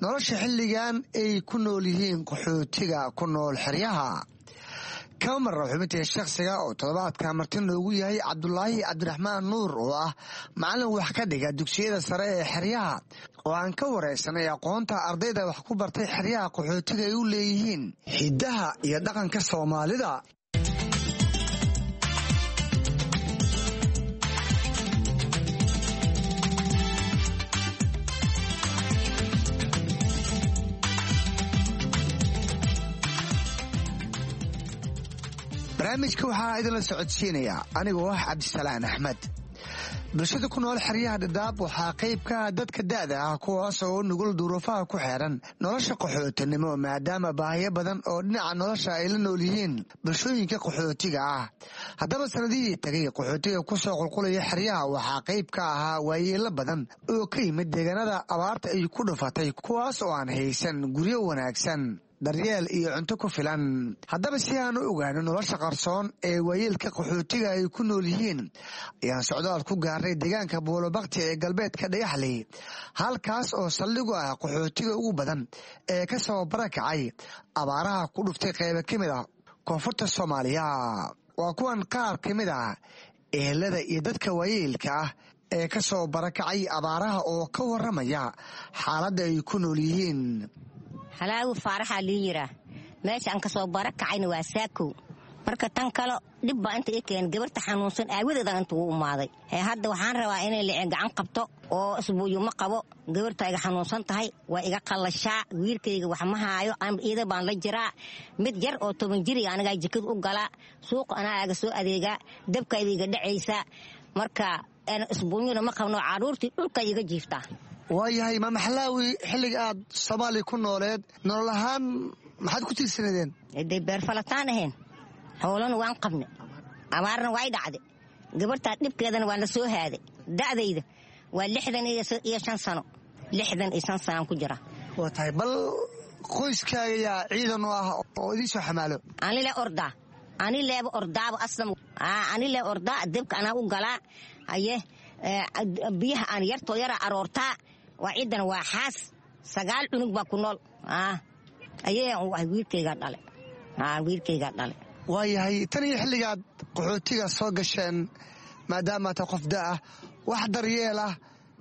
Speaker 16: nolosha xilligan ay ku nool yihiin qaxootiga ku nool xeryaha. Kama marra xubintii shakhsiga oo toddobaadka marti noogu yahay Cabdulaahi Cabdiraxmaan Nuur oo ah macallin wax ka dhiga dugsiyada sare ee xeryaha, oo aan ka wareysanay aqoonta ardayda wax ku bartay xeryaha qaxootiga ay u leeyihiin hiddaha iyo dhaqanka Soomaalida. Barnaamijka waxaa idinla socodsiinaya anigoo ah Cabdisalaan Axmed. Bulshada ku nool xeryaha Dhadhaab waxaa qayb ka ah dadka da'da ah, kuwaas oo nugul duruufaha ku xeeran nolosha qaxootinimo, maadaama baahiyo badan oo dhinaca nolosha ay la nool yihiin bulshooyinka qaxootiga ah. Haddaba sanadihii tagay qaxootiga kusoo qulqulaya xeryaha waxaa qayb ka ahaa waayeelo badan oo ka yimid deegaanada abaarta ay ku dhufatay, kuwaas oo aan haysan guryo wanaagsan, daryeel iyo cunto ku filan. Haddaba si aan u ogaano nolosha qarsoon ee waayeelka qaxootiga ay ku nool yihiin, ayaan socdaal ku gaarnay deegaanka Buulobakti ee galbeedka Dhagaxley, halkaas oo saldhigu ah qaxootiga ugu badan ee ka soo barakacay abaaraha ku dhuftay qaybo ka mid ah koonfurta Soomaaliya. Waa kuwan qaar ka mid ah ehelada iyo dadka waayeelka ah ee ka soo barakacay abaaraha oo ka waramaya xaaladda ay ku nool yihiin.
Speaker 17: Halaagu Faaraxaa lii yiraa. Meesha aan ka soo bara kacayna waa Saakow. Marka tan kale dhib baa inta ii keen, gabarta xanuunsan aawadeeda inta ugu umaaday. Hadda waxaan rabaa inay licin gacan qabto oo isbuuyo ma qabo. Gabarta iga xanuunsan tahay, waa iga qallashaa. Wiilkayga wax ma haayo, iida baan la jiraa. Mid yar oo toban jiriga anigaa jikada u galaa, suuqa anaa aga soo adeegaa, dabkayda iga dhacaysaa. Marka isbuunyona ma qabno, caruurtii dhulka iga jiiftaa.
Speaker 16: Waayahay, Maama Xalaawi, xilliga aad Soomaaliya ku nooleed nolol ahaan maxaad ku tiirsanadeen?
Speaker 17: Dee beerfalataan ahayn, xoolana waan qabne, abaarna way dhacday, gabartaa dhibkeedana waa la soo haaday. Da'dayda waa lixdan iyo shan sano. Lixdan iyo shan sanaan ku jira.
Speaker 16: Waa tahay, bal qoyskaaga yaa ciidan u ah oo idiin soo xamaalo?
Speaker 17: Anile ordaa, ani leeba ordaaba aslam, ani lee ordaa, debka anaa u galaa, haye biyaha aan yartoo yara aroortaa. Waa ciidan, waa xaas, sagaal cunug baa ku nool. Ayee wiilkaygaa dhale, wiilkaygaa dhale.
Speaker 16: Waayahay, tan iyo xilligaad qaxootiga soo gasheen, maadaama ta qof da ah, wax daryeel ah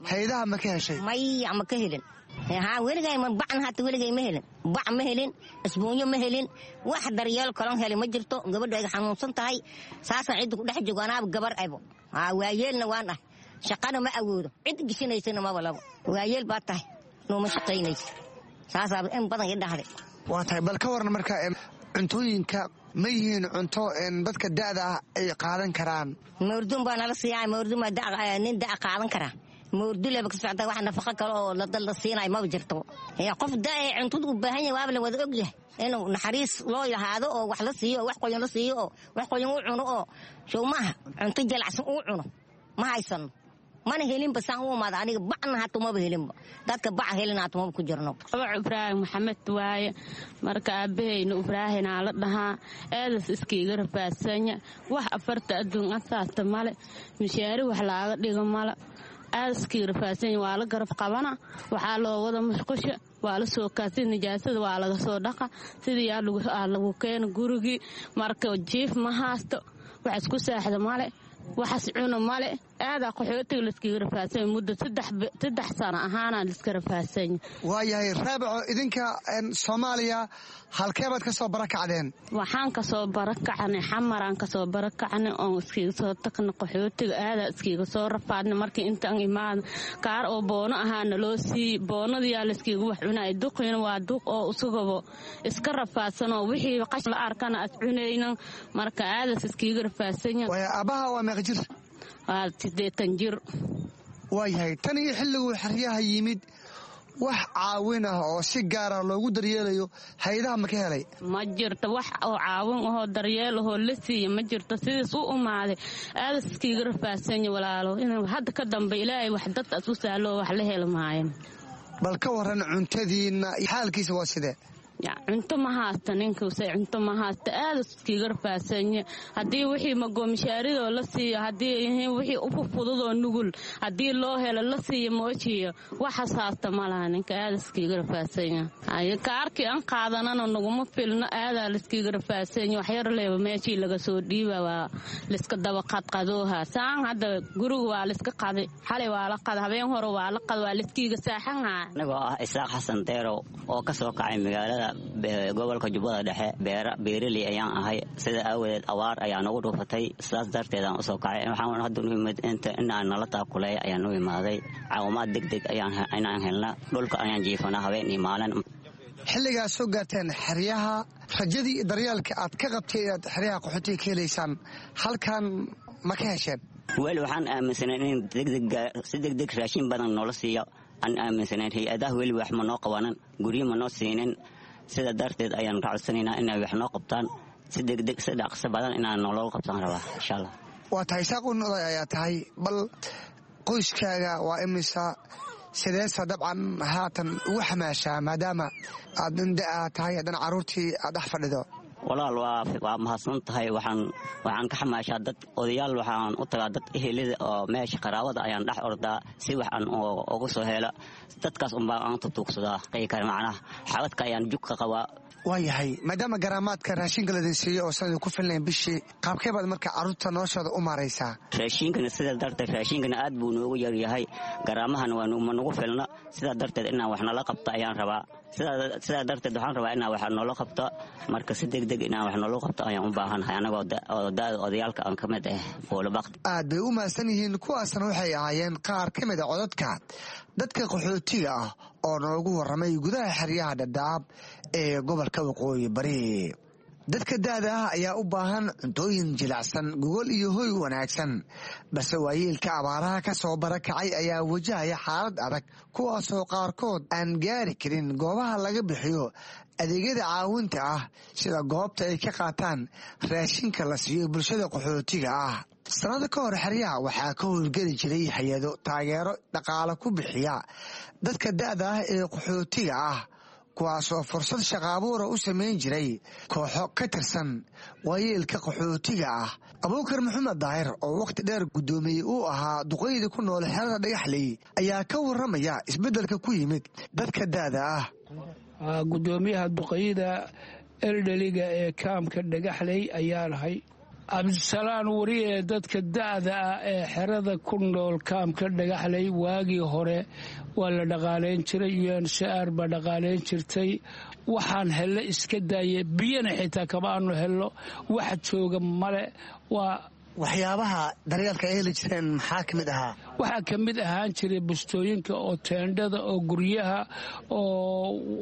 Speaker 16: haydaha ma ka heshay?
Speaker 17: Maya, ma ka helin. Haa, weligay ma bacna, hata weligay ma helin, bac ma helin, isbuunyo ma helin, wax daryeel kalon helin ma jirto. Gabadha ayga xanuunsan tahay, saasaan cidda ku dhex joogo. Anaaba gabar abo, haa, waayeelna waan ah, shaqana ma awoodo, cid gishinaysana maba labo. Waayeel baa tahay, nooma shaqaynaysa, saasaaba in badan i dhahday.
Speaker 16: Waa tahay, bal ka waran marka cuntooyinka, ma yihiin cunto dadka da'da ah ay qaadan karaan?
Speaker 17: Mawrdun baa nala siiyaa, mawrdun baa nin da' qaadan karaa, mawrduleba ka socda. Wax nafaqo kale oo la siinayo maba jirto. Qof da' ee cuntada u baahan yahay waaba la wada og yahay, inuu naxariis loo lahaado oo wax la siiyo oo wax qoyan la siiyo oo wax qoyan u cuno oo show maaha cunto jalacsan uu cuno. Ma haysano, mana helinba. Saan u imaada aniga bacna hata maba helinba, dadka bac helin hata maba ku jirno.
Speaker 18: Abac Ibraahim Maxamed waaye. Marka aabahayna Ibraahinaa la dhahaa. Eedas iskiiga rafaadsanya, wax afarta adduun asaasta male, mishaari wax laaga dhigo male. Aadaskii rafaadsanya, waa la garab qabana, waxaa loo wada musqusha, waa la soo kaasi, nijaasada waa laga soo dhaqa, sidii aa lagu keena gurigii. Marka jiif ma haasto, wax isku saaxda male, waxas cuno male. Aadaa qaxootiga laiskaga rafaasanya, muddo saddex sano ahaanaa laiska rafaasanya.
Speaker 16: Waayahay Raabico, idinka Soomaaliya halkee baad ka soo barakacdeen?
Speaker 18: Waxaan kasoo barakacnay Xamaraan kasoo barakacnay oon iskiga soo tagnay qaxootiga. Aadaa iskiga soo rafaadnay. Markii intaan imaada kaar oo boono ahaana loo siiyey, boonadiyaa laiskiga wax cunay. Duqiina waa duq oo isagaba iska rafaadsanoo wixii qash la arkana as cunaynan. Marka aadaas iskiga rafaasanya.
Speaker 16: Aabbaha waa meeqa jir?
Speaker 18: Waa sideetan jir.
Speaker 16: Waayahay, tan iyo xilliguu xeryaha yimid wax caawin ah oo si gaara loogu daryeelayo hay-adaha ma ka helay?
Speaker 18: Ma jirto wax oo caawin ahoo daryeel ahoo la siiya, ma jirto. Sidiis u umaaday aadas iskiiga rafaadsanya walaalo. Inuu hadda ka dambe Ilaahay wax dadkaas u sahlo, wax la heli maayo.
Speaker 16: Bal ka waran cuntadiinna, xaalkiisa waa sidee?
Speaker 18: Cunto ma haasta ninkuse, cunto ma haasta, aada iskiiga rafaasanya. Haddii wixii magoomishaarido la siiyo, haddii wixii ufufududoo nugul haddii loo helo la siiyo, moojiyo waxaas haasta ma laha ninka, aada iskiiga rafaasanya. Kaarkii aan qaadanana naguma filno, aadaa laiskiiga rafaasanya. Waxyar leeba meeshii laga soo dhiiba waa laiska daba qadqadooha. Saan hadda guriga waa laiska qaday, xalay waa la qaday, habeen hore waa la qaday, waa laiskiiga saaxanhaa.
Speaker 19: Anigoo ah Isaaq Xasan Deerow oo ka soo kacay magaalada gobolka Jubbada Dhexe, beeraley ayaan ahay. Sida aawadeed abaar ayaa nagu dhuufatay, sidaas darteed aan usoo kacay. Waxaan hadda nu imid inaan nala taakulay ayaan u imaaday. Caawimaad degdeg inaan helna. Dhulka ayaan jiifanaa habeen iyo maalin.
Speaker 16: Xilligaad soo gaarteen xeryaha, rajadii iyo daryeelka aad ka qabtay inaad xeryaha qaxootiga ka helaysaan halkan ma ka hesheen?
Speaker 19: Weli waxaan aaminsanayn in si degdeg raashin badan noola siiyo aan aaminsanayn. Hay-adaha weli wax ma noo qabanan, guryo ma noo siinin. Sida darteed ayaan ka codsanaynaa inay wax noo qabtaan si degdeg, si dhaqso badan inaan nolol qabtaan rabaa insha Allah.
Speaker 16: Waa tahay, Isaaq un oday ayaa tahay. Bal qoyskaaga waa imisa? Sideesa dabcan haatan ugu xamaashaa maadaama aad nin da-a tahay, haddana carruurtii aad dhex fadhido?
Speaker 19: Walaal, waa mahadsan tahay. Waxaan waxaan ka xamaashaa dad odayaal, waxaan u tagaa dad ehelida oo meesha qaraabada ayaan dhex ordaa si wax aan ugu soo helo. Dadkaas unbaa aan tutuugsadaa kare, macnaha xabadka ayaan jug ka qabaa.
Speaker 16: Waayahay, maadaama garaamaadka raashinka laydin siiyo oo sanadii ku filnayn bishii, qaabkee baad marka carruurta noloshooda u maaraysaa?
Speaker 19: Raashinkana sidaa darteed raashinkana aad buu noogu yaryahay, garaamahana waa ma nagu filno. Sidaa darteed inaan wax nala qabto ayaan rabaa. Sidaa darteed waxaan rabaa inaan wax noola qabto. Marka si degdeg inaan wax noola qabto ayaan u baahanahay, anagoo da-da odayaalka aan ka mid ah Buulabaqti.
Speaker 16: Aad bay u mahadsan yihiin kuwaasna, waxay ahaayeen qaar ka mid a codadka dadka qaxootiga ah oo noogu warramay gudaha xeryaha Dhadhaab ee gobolka Waqooyi Bari. Dadka da'da ah ayaa u baahan cuntooyin jilicsan, gogol iyo hoy wanaagsan, balse waayeelka abaaraha ka soo barakacay ayaa wajahaya xaalad adag, kuwaasoo qaarkood aan gaari karin goobaha laga bixiyo adeegyada caawinta ah, sida goobta ay ka qaataan raashinka la siiyo bulshada qaxootiga ah. Sanado ka hor xeryaha waxaa ka howlgeli jiray hay-ado taageero dhaqaale ku bixiya dadka da'da ah ee qaxootiga ah, kuwaasoo fursad shaqaabuura u samayn jiray kooxo ka tirsan waayeelka qaxootiga ah. Abuukar Maxamed Daahir oo wakhti dheer guddoomiyey uu ahaa duqeyda ku nool xerada Dhagaxley ayaa ka warramaya isbeddelka ku yimid dadka da'da ah.
Speaker 20: Gudoomiyaha duqeyda eldheliga ee kaamka Dhagaxley ayaa lahay Cabdisalaan weri ee dadka da'da ah ee xerada ku nool kaamka Dhagaxley waagii hore waa la dhaqaalayn jiray, U N C R baa dhaqaalayn jirtay. Waxaan hello iska daaya, biyana xitaa kama aanu hello, wax jooga male. Waa
Speaker 16: waxyaabaha daryeelka ay heli jireen maxaa ka mid ahaa?
Speaker 20: Waxaa ka mid ahaan jiray bustooyinka oo teendhada oo guryaha oo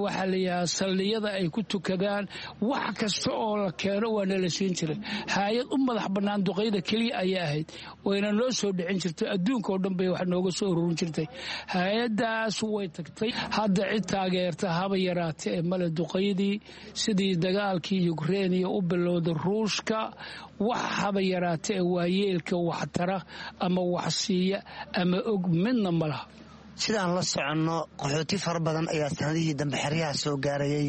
Speaker 20: waxaa la yidhahaa saldhiyada ay ku tukadaan, wax kasta oo la keeno waa nala siin jiray. Haayad u madax bannaan duqeyda keliya ayay ahayd, wayna noo soo dhicin jirtay, adduunka oo dhan bay wax nooga soo ururin jirtay. Hay-addaas way tagtay, hadda cid taageerta haba yaraata ee male. Duqeydii sidii dagaalkii Yukreiniya u bilowday Ruushka, wax haba yaraata ee waayeelka waxtara ama wax siiya ama og midna ma laha.
Speaker 16: Sidaan la soconno, qaxooti fara badan ayaa sanadihii dambe xeryaha soo gaarayay.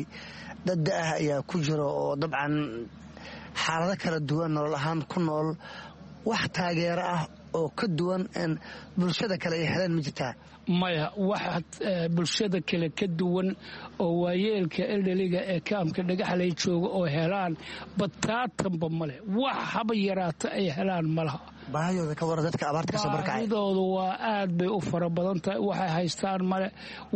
Speaker 16: Dad da-ah ayaa ku jira oo dabcan xaalado kala duwan nolol ahaan ku nool. Wax taageero ah oo ka duwan bulshada kale ay heleen ma jirtaa?
Speaker 20: Maya, wax bulshada kale ka duwan oo waayeelka eldheliga ee kaamka Dhagaxley jooga oo helaan bataatanba male. Wax haba yaraata ay helaan malaha.
Speaker 16: Baahidooda ka waran dadka abaarta kasoo barkacay?
Speaker 20: Baahidoodu waa aad bay u fara badan tahay. Waxay haystaan male,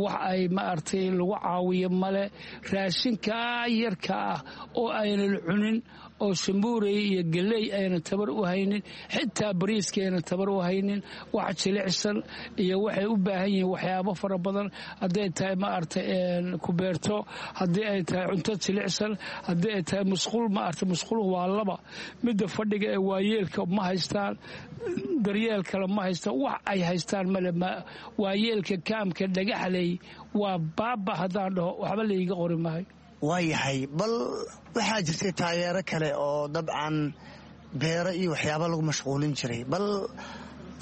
Speaker 20: wax ay maaragtay lagu caawiyo male. Raashinkaa yarka ah oo aynan cunin oo sambuurey iyo geley ayna tabar u haynin, xitaa bariiska ayna tabar u haynin, wax jilicsan iyo waxay u baahan yihiin waxyaabo fara badan, hadday tahay maaragtay kubeerto, haddii ay tahay cunto jilicsan, haddii ay tahay musquul. Maaragtay musquluhu waa laba, midda fadhiga ee waayeelka ma haystaan, daryeel kale ma haystaan, wax ay haystaan male. Waayeelka kaamka Dhagaxley waa baaba, haddaan dhaho waxba layga qori maayo.
Speaker 16: Waayahay, bal waxaa jirtay taageero kale oo dabcan beero iyo waxyaaba lagu mashquulin jiray, bal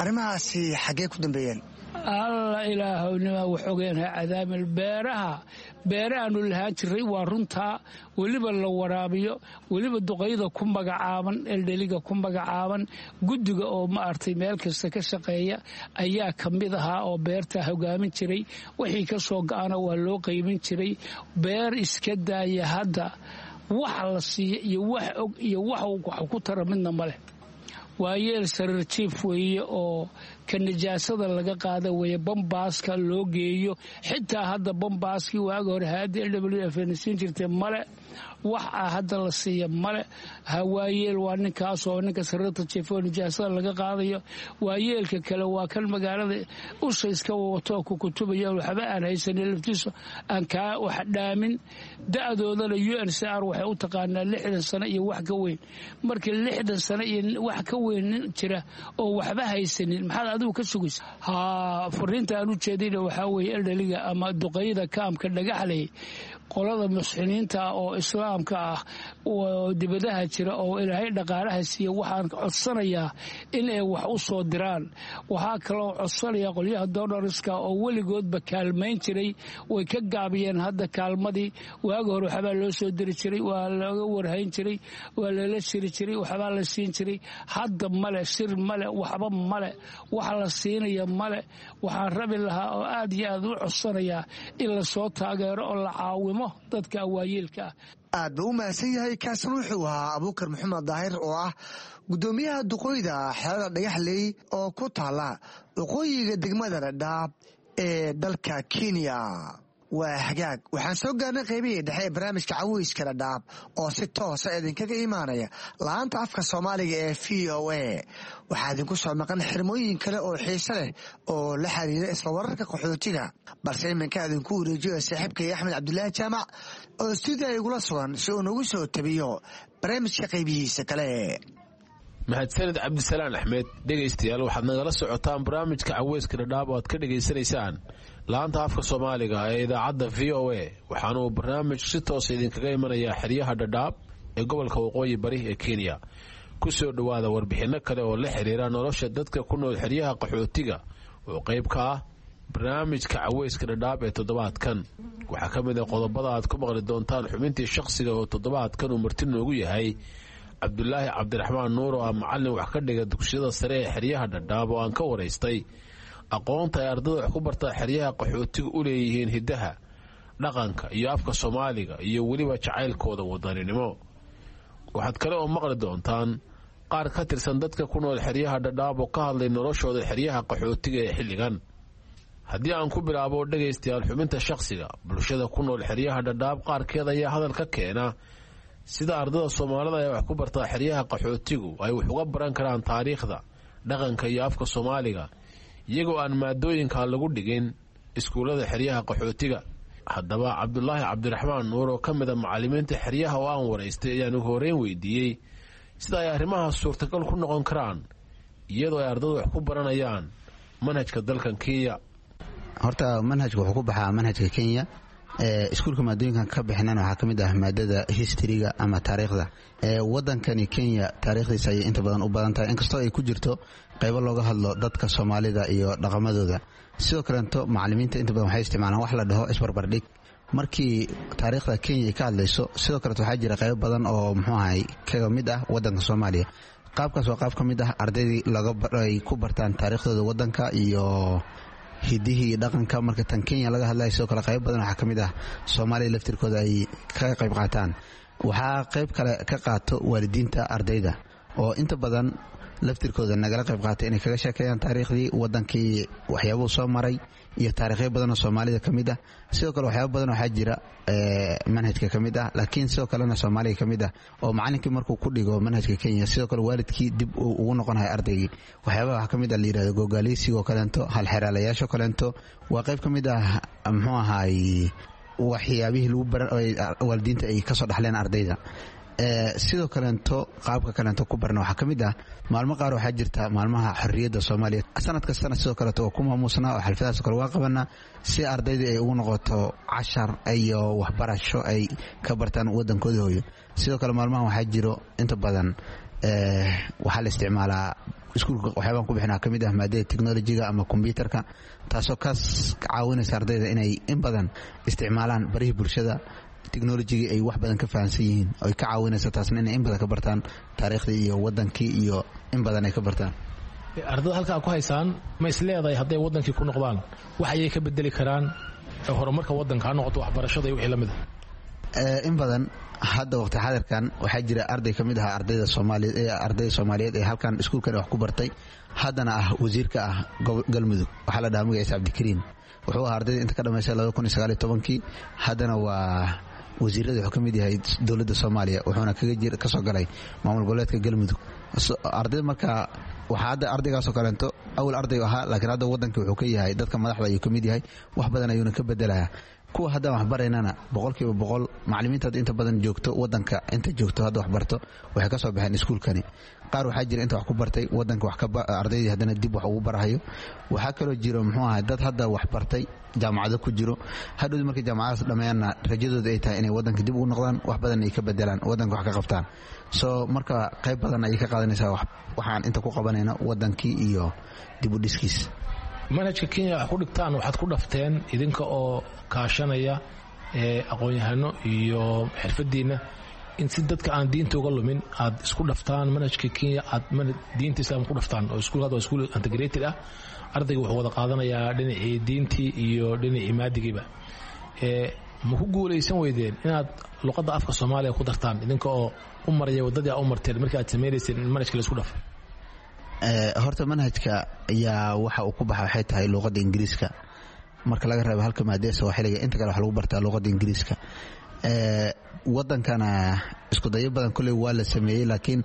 Speaker 16: arrimahaasi xaggee ku dambeeyeen?
Speaker 20: Alla ilaahownima wax ogeenha cadaamil. Beeraha beerahaanu lahaan jiray waa runtaa, weliba la waraabiyo, weliba duqeyda ku magacaaban eldheliga ku magacaaban guddiga oo maaragtay meel kasta ka shaqeeya ayaa ka mid ahaa oo beerta hogaamin jiray. Wixii ka soo go-ana waa loo qaybin jiray. Beer iska daaya, hadda wax la siiya iyo wax og iyo wax wax ku tara midna ma leh. Waayeel sariir jiif weeye oo ka nijaasada laga qaada weeye, bambaaska loo geeyo. Xitaa hadda bambaaskii waaga hore hay-adda L W F na siin jirtay male, wax ah hadda la siiya male. Waayeel waa ninkaas oo ninka sariirta jiif oo nijaasada laga qaadayo. Waayeelka kale waa kan magaalada usha iska wato ku kutubaya, waxba aan haysanin, laftiisu aan kaa wax dhaamin. Da-doodana U N C R waxay u taqaanaa lixdan sano iyo wax ka weyn. Marka lixdan sano iyo wax ka weyn nin jira oo waxba haysanin, maxaad adigu ka sugaysa? Haa, fariinta aan u jeedina waxaa weeye eldheliga ama duqeyda kaamka Dhagaxley, qolada musxiniinta oo islaamka ah oo dibadaha jira oo ilaahay dhaqaalaha siiya, waxaan codsanayaa in ay wax u soo diraan. Waxaa kaloo codsanaya qolyaha donoriska oo weligoodba kaalmayn jiray, way ka gaabiyeen hadda kaalmadii. Waagi hore waxbaa loo soo diri jiray, waa looga warhayn jiray, waa lala shiri jiray, waxbaa la siin jiray. Hadda male, shir male, waxba male, wax la siinaya male. Waxaan rabi lahaa oo aad iyo aad u codsanayaa in lasoo taageero oo la caawimo dadka waayeelka ah.
Speaker 16: Aad buu u mahadsan yahay. Kaasna wuxuu ahaa Abuukar Maxamed Daahir oo ah guddoomiyaha duqooyda xerada Dhagaxley oo ku taala waqooyiga degmada Dhadhaab ee dalka Kenya. Waa hagaag, waxaan soo gaarnay qaybihii dhexe ee barnaamijka Caweyska Dhadhaab oo si toosa idinkaga imaanaya laanta afka Soomaaliga ee V O A. Waxaa idinku soo maqan xirmooyin kale oo xiise leh oo la xiriira isla wararka qaxootiga, balse iminka idinku wareejiyo saaxiibkay Axmed Cabdulaahi Jaamac oo stuudiya igula sugan si uu nagu soo tabiyo barnaamijka qaybihiisa kale.
Speaker 21: Mahadsanid Cabdisalaan Axmed. Dhegaystayaal, waxaad nagala socotaan barnaamijka Caweyska Dhadhaab oo aad ka dhegaysanaysaan laanta afka Soomaaliga ee idaacadda V O A. Waxaanuu barnaamij si toosa idinkaga imanayaa xeryaha Dhadhaab ee gobolka Waqooyi Bari ee Kenya. Ku soo dhowaada warbixinno kale oo la xiriira nolosha dadka ku nool xeryaha qaxootiga oo qayb ka ah barnaamijka Caweyska Dhadhaab ee toddobaadkan. Waxaa ka mid ah qodobada aad ku maqli doontaan xubintii shakhsiga oo toddobaadkan uu marti noogu yahay Cabdulaahi Cabdiraxmaan Nuur oo ah macallin wax ka dhiga dugsiyada sare ee xeryaha Dhadhaab oo aan ka waraystay aqoonta ay ardada wax ku bartaa xeryaha qaxootiga u leeyihiin hiddaha, dhaqanka iyo afka Soomaaliga iyo weliba jacaylkooda wadaninimo. Waxaad kale oo maqli doontaan qaar ka tirsan dadka ku nool xeryaha Dhadhaab oo ka hadlay noloshooda xeryaha qaxootiga ee xilligan. Haddii aan ku bilaabo dhegaystayaal xubinta shakhsiga, bulshada ku nool xeryaha Dhadhaab qaarkeed ayaa hadal ka keena sida ardada Soomaalida ee wax ku bartaa xeryaha qaxootigu ay wax uga baran karaan taariikhda, dhaqanka iyo afka Soomaaliga iyagoo aan maadooyinka lagu dhigin iskuullada xeryaha qaxootiga. Haddaba Cabdulaahi Cabdiraxmaan Nuur oo ka mid a macallimiinta xeryaha oo aan waraystay ayaan ugu horreyn weydiiyey sida ay arrimahaas suurtagal ku noqon karaan iyadoo ay ardadu wax ku baranayaan manhajka dalkan Kenya.
Speaker 22: Horta manhajka wuxuu ku baxaa manhajka Kenya. Iskuulka maadooyinkan ka bixinana waxaa ka mid ah maadada historyga ama taariikhda wadankani Kenya. Taariikhdiisa ayay inta badan u badan tahay, inkastoo ay ku jirto qaybo looga hadlo dadka Soomaalida iyo dhaqamadooda. Sidoo kaleeto macalimiinta inta badan waxay isticmaalaan wax la dhaho isbarbardhig markii taariikhda Kenya ay ka hadlayso. Sidoo kaleeto waxaa jira qaybo badan oo muxuu ahay kaga mid ah wadanka Soomaaliya. Qaabkaas waa qaab ka mid ah ardaydii ay ku bartaan taariikhdooda wadanka iyo hidihii dhaqanka. Marka tan Kenya laga hadlaya, sidoo kale qayb badan waxaa ka mid ah Soomaaliya laftirkooda ay kaga qayb qaataan. Waxaa qayb kale ka qaato waalidiinta ardayda oo inta badan laftirkooda nagala qayb qaatay inay kaga sheekeeyaan taariikhdii wadankii, waxyaabuhu soo maray iyo taariikhyo badan oo Soomaalida ka mid ah. Sidoo kale waxyaabo badan waxaa jira manhajka ka mid ah, laakiin sidoo kalena Soomaaliga ka mid ah, oo macalinkii markuu ku dhigo manhajka Kenya, sidoo kale waalidkii dib uu ugu noqonayo ardaygii. Waxyaabaha waxaa ka mid ah la yidhahdo gogaaleysigoo kaleento, halxeraalayaasho kaleento, waa qayb ka mid ah muxuu ahaay waxyaabihii lagu baran waalidiinta ay kasoo dhaxleen ardayda. Sidoo kaleento qaabka kaleento ku barna waxaa ka mid ah maalmo qaar waxaa jirta maalmaha xorriyadda Soomaaliya sanad kastana sidoo kaleeto waa ku maamuusnaa oo xalfadahaas kale waa qabanaa si ardaydii ay ugu noqoto cashar iyo waxbarasho ay ka bartaan wadankooda hooyo. Sidoo kale maalmahan waxaa jiro inta badan waxaa la isticmaalaa iskuulka waxyaabaan ku bixinaa ka mid ah maadada technolojiga ama kombyutarka, taasoo kaas caawinaysa ardayda inay in badan isticmaalaan barihii bulshada, technolojigii ay wax badan ka fahansan yihiin, ay ka caawinaysa taasna inay in badan ka bartaan taariikhdii iyo wadankii iyo in badan ay ka bartaan.
Speaker 21: Ardada halkaa ku haysaan ma is leedahay hadday wadankii ku noqdaan wax ayay ka bedeli karaan horumarka wadanka, ha noqoto waxbarashada iyo wixii la mid
Speaker 22: a? In badan hadda waqti xadirkan waxaa jira arday ka mid ahaa ardayda Soomaaliyeed, ardayda Soomaaliyeed ee halkan iskuulkan wax ku bartay, haddana ah wasiirka ah Galmudug. Waxaa la dhahaa magaciisa Cabdikariin. Wuxuu ahaa ardayda inta ka dhamaysay laba kun iyo sagaal iyo tobankii, haddana waa wasiirada wuxuu ka mid yahay dowladda Soomaaliya, wuxuuna kaga jir kasoo galay maamul goboleedka Galmudug. Ardayda marka waxaa hadda ardaygaasoo kaleento awal arday ahaa, laakiin hadda wadankii wuxuu ka yahay dadka madaxda ayuu ka mid yahay, wax badan ayuuna ka bedelayaa. Kuwa haddaan waxbaraynana boqolkiiba boqol macalimiinta hadda inta badan joogto wadanka, inta joogto hadda waxbarto waxay ka soo baxeen iskuulkani. Qaar waxaa jira inta wax ku bartay wadanka wax ardaydii haddana dib wax ugu barahayo. Waxaa kaloo jiro muxuu ahay dad hadda wax bartay jaamacado ku jiro, hadhowdi markay jaamacadaas dhammeeyaanna rajadooda ay tahay inay wadanka dib ugu noqdaan, wax badan ay ka bedelaan wadanka, wax ka qabtaan. Soo marka qayb badan ayay ka qaadanaysaa waxaan inta ku qabanayna wadankii iyo dib u dhiskiis.
Speaker 21: Manhajka Kenya wax ku dhigtaan waxaad ku dhafteen idinka oo kaashanaya aqoon-yahano iyo xirfadiinna in si dadka aan diinta uga lumin aad isku dhaftaan manhajka Kenya, aad diinta islaamka ku dhaftaan oo iskuul hadda waa iskuul integrated ah. Ardayga wuxuu wada qaadanayaa dhinacii diintii iyo dhinacii maadigiiba. Ma ku guulaysan weydeen inaad luqadda afka Soomaaliya ku dartaan idinka oo u maraya waddadii aa u marteen markii aad sameynayseen in manhajka la isku dhafo?
Speaker 22: Horta manhajka ayaa waxa uu ku baxa waxay tahay luuqadda Ingiriiska. Marka laga reebo halka maadee Sawaaxiliga, inta kale wax lagu bartaa luuqadda Ingiriiska. Wadankana iskudayo badan koley waa la sameeyey, laakiin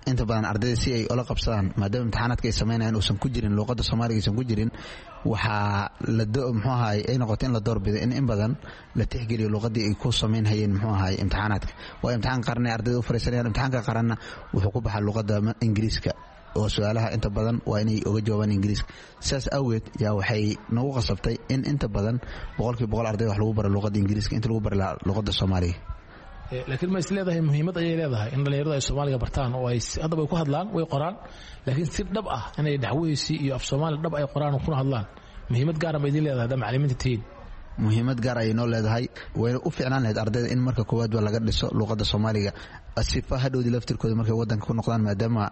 Speaker 22: inta badan ardayda si ay ula qabsadaan, maadaama imtixaanaadka ay samaynayaan uusan ku jirin luuqadda Soomaaliga aysan ku jirin, waxaa muxuu ahaay ay noqotay in la doorbido in in badan la tixgeliyo luuqaddii ay ku samayn hayeen muxuu ahaay imtixaanaadka. Waa imtixaan qaran ay ardayda u fariisanayaan, imtixaanka qaranna wuxuu ku baxaa luuqadda Ingiriiska oo su-aalaha inta badan waa inay oga jawaabaan Ingiriiska. Sidaas awgeed yaa waxay nagu qasabtay in inta badan boqolkiiba boqol arday wax lagu baro luuqadda Ingiriiska inta lagu bari lahaa luuqadda Soomaaliga.
Speaker 21: Laakiin ma is leedahay muhiimad ayay leedahay in dhallinyaradu ay Soomaaliga bartaan oo ay haddaba ay ku hadlaan, way qoraan, laakiin si dhab ah inay dhaxweysi iyo af Soomaali dhab ay qoraan oo kuna hadlaan, muhiimad gaara ma idin leedahay haddaa macallimiinta tihiin?
Speaker 22: Muhiimad gaar ayay noo leedahay, wayna u fiicnaan lahayd ardayda in marka koowaad ba laga dhiso luuqadda Soomaaliga, sifa hadhowdii laftirkooda markay wadanka ku noqdaan, maadaama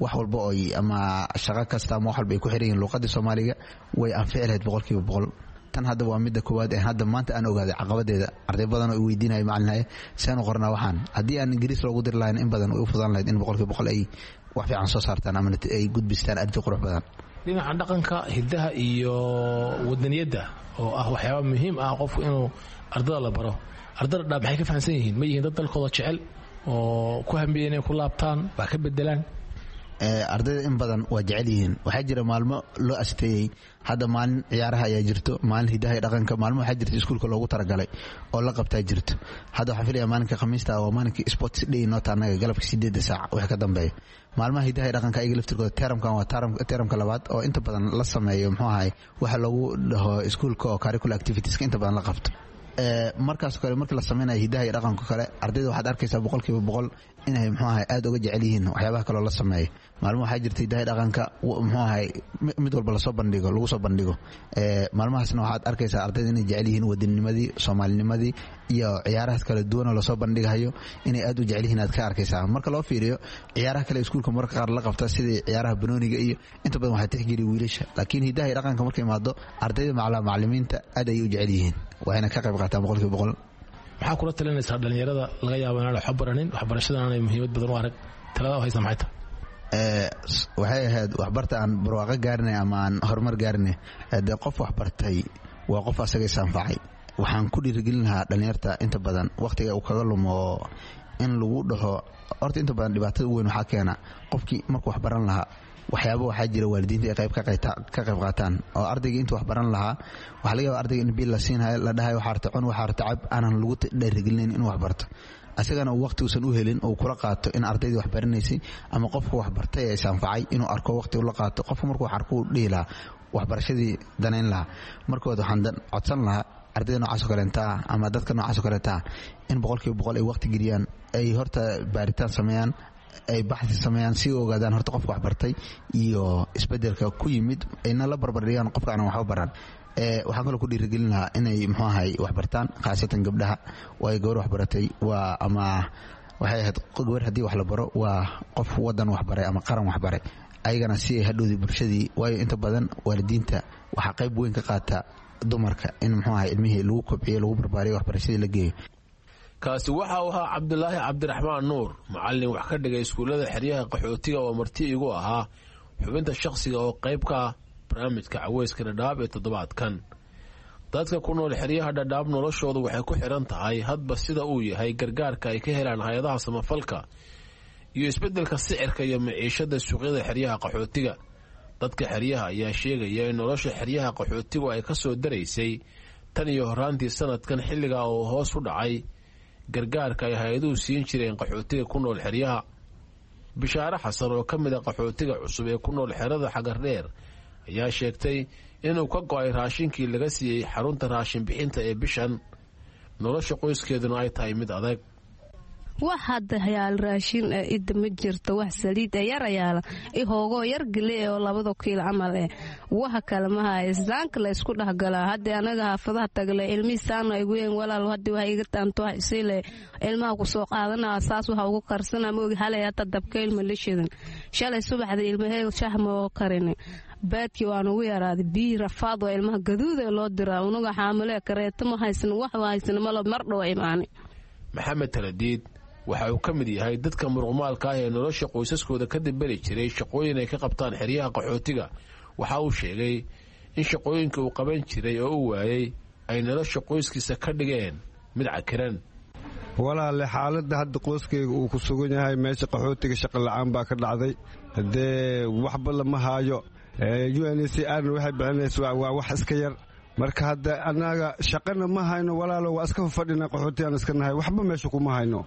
Speaker 22: wax walba oy ama shaqo kasta ama wax walba ay ku xiran yihiin luuqadda Soomaaliga, way anfici lahayd boqolkiiba boqol. Tan hadda waa midda koowaad ee hadda maanta aan ogaaday caqabadeeda. Arday badan oo i weydiinaya, macalinhaye, saan u qornaa waxaan? Haddii aan Ingiriis loogu diri lahayn, in badan way u fudaan lahayd in boqolkiiba boqol ay wax fiican soo saartaan ama ay gudbistaan arrinti qurux badan.
Speaker 21: Dhinaca dhaqanka, hiddaha iyo wadaniyadda oo ah waxyaaba muhiim ah qofku inuu ardada la baro, ardada dhaa maxay ka fahamsan yihiin? Ma yihiin dad dalkooda jecel oo ku hambiya inay ku laabtaan, wax ka bedelaan?
Speaker 22: Ardayda in badan waa jecel yihiin. Waxaa jira maalmo loo asteeyey, hadda maalin ciyaaraha ayaa jirto, maalin hidaha iyo dhaqanka, maalmo waxaa jirta iskuulka loogu talagalay oo la qabtaa jirto. Hadda waxaan filaya maalinka Khamiista waa maalinkii sports day noota annaga, galabka sideedda saac wixii ka dambeeya. Maalmaha hidaha iyo dhaqanka ayaga laftirkooda teramkan waa teramka labaad oo inta badan la sameeyo muxuu ahay waxa loogu dhaho iskuulka oo curricular activitieska inta badan la qabto. Markaas kale markii la samaynayo hidaha iyo dhaqanka kale, ardayda waxaad arkaysaa boqolkiiba boqol inay muxuu ahay aad uga jecel yihiin waxyaabaha kaloo la sameeyo. Maalmo waxaa jirta hidaha iyo dhaqanka muxuu ahay mid walba lasoo bandhigo, lagu soo bandhigo. Maalmahaasna waxaad arkaysaa ardayda inay jecel yihiin wadanimadii, Soomaalinimadii iyo ciyaarahaas kala duwan oo lasoo bandhigayo inay aad u jecel yihiin aad ka arkaysaa. Marka loo fiiriyo ciyaaraha kale iskuulka mararka qaar la qabta, sidii ciyaaraha banooniga iyo inta badan waxaa tixgeliya wiilasha, laakiin hidaha iyo dhaqanka markay imaado ardayda macalaa macalimiinta aad ayay u jecel yihiin, waxayna ka qayb qaataan boqolkiiba boqol.
Speaker 21: Maxaa kula talinaysaa dhalinyarada laga yaabo inaan waxba baranin, waxbarashadan aanay muhiimad badan u arag? Talada u haysa maxay tahay?
Speaker 22: Waxay ahayd waxbarta aan barwaaqo gaarinay ama aan horumar gaarinay. Dee qof waxbartay waa qof asaga is anfacay. Waxaan ku dhiirigelin lahaa dhalinyarta inta badan wakhtiga uu kaga lumo in lagu dhaho horta inta badan dhibaatada ugu weyn waxaa keena qofkii markuu waxbaran lahaa waxyaaba waxaa jira waalidiinta ay qayb ka qayb qaataan oo ardayga intuu wax baran lahaa waxaa laga yaaba ardayga in biil la siinhayo, la dhahayo waxaa arta cun, waxaa arta cab, aanan lagu dhiirigelinayn inuu wax barto, asagana uu waqti uusan u helin uu kula qaato in ardaydii wax baranaysay ama qofku wax bartay ee is anfacay inuu arko waqti ula qaato. Qofku markuu wax arko uu dhihi lahaa waxbarashadii danayn lahaa. Markood waxaan codsan lahaa ardayda noocaas oo kaleenta ah ama dadka noocaas oo kaleenta ah in boqolkiiba boqol ay waqti geliyaan, ay horta baaritaan sameeyaan, ay baxsi sameeyaan, si ogaadaan horta qofka waxbartay iyo isbedelka ku yimid, ayna la barbardhigaan qofka aanan waxba baran. Waxaan kaloo ku dhiirigelin lahaa inay muxuu ahay waxbartaan, khaasatan gabdhaha, waayo gabar waxbaratay waa ama waxay ahayd gabar haddii wax la baro waa qof wadan waxbaray ama qaran waxbaray, ayagana si ay hadhowdii bulshadii, waayo inta badan waalidiinta waxaa qayb weyn ka qaata dumarka in muxuu ahay ilmihii lagu kobciyo, lagu barbaariyo, waxbarashadii la geeyo.
Speaker 21: Kaasi waxa uu ahaa Cabdulaahi Cabdiraxmaan Nuur, macallin wax ka dhigay iskuullada xeryaha qaxootiga oo marti igu ahaa xubinta shakhsiga oo qayb ka ah barnaamijka caweyska Dhadhaab ee toddobaadkan. Dadka ku nool xeryaha Dhadhaab noloshoodu waxay ku xidhan tahay hadba sida uu yahay gargaarka ay ka helaan hay-adaha samafalka iyo isbeddelka sicirka iyo maciishada suuqyada xeryaha qaxootiga. Dadka xeryaha ayaa sheegaya in nolosha xeryaha qaxootigu ay ka soo daraysay tan iyo horraantii sanadkan, xilligaa oo hoos u dhacay gargaarka ay hay-aduhu siin jireen qaxootiga ku nool xeryaha. Bishaare Xasan oo ka mid a qaxootiga cusub ee ku nool xerada Xagardheer ayaa sheegtay inuu ka go'ay raashinkii laga siiyey xarunta raashin bixinta ee bishan, nolosha qoyskeeduna ay tahay mid adag.
Speaker 2: Wax hadda hayaal raashin eh idda ma jirto, wax saliid eh yar ayaala i hoogoo yar gele oo labada kiilo camal eh, waxa kale ma haya. Islaanka la isku dhexgalaa hadda anaga xaafadaha tagle ilmihii saana igu yeen, walaal haddi wax iga taanto wax isiile ilmaha ku soo qaadanaa, saas waxa ugu karsana moogi. Halay hata dabka ilma la shidan, shalay subaxda ilmahee shax ma oo karin, baadkii waan ugu yaraaday, biyi rafaad waa ilmaha gaduud ee loo diraa, unuga xaamile kareeto ma haysan, wax haysan malo mar dhow imaani.
Speaker 21: Maxamed Taladiid waxa uu ka mid yahay dadka muruqmaalka ah ee nolosha qoysaskooda ka diberi jiray shaqooyin ay ka qabtaan xeryaha qaxootiga. Waxa uu sheegay In shaqooyinka uu qaban jiray oo u waayey ay nolosha qoyskiisa ka dhigeen mid cakiran.
Speaker 4: Walaale, xaaladda hadda qoyskayga uu ku sugan yahay meesha qaxootiga shaqa la'aan baa ka dhacday. Haddee waxba lama haayo. U N C R waxay bixinaysa waa wax iska yar. Marka hadda annaga shaqana ma hayno, walaalo, waa iska fadhina, qaxootiyaan iska nahay, waxba meesha kuma hayno.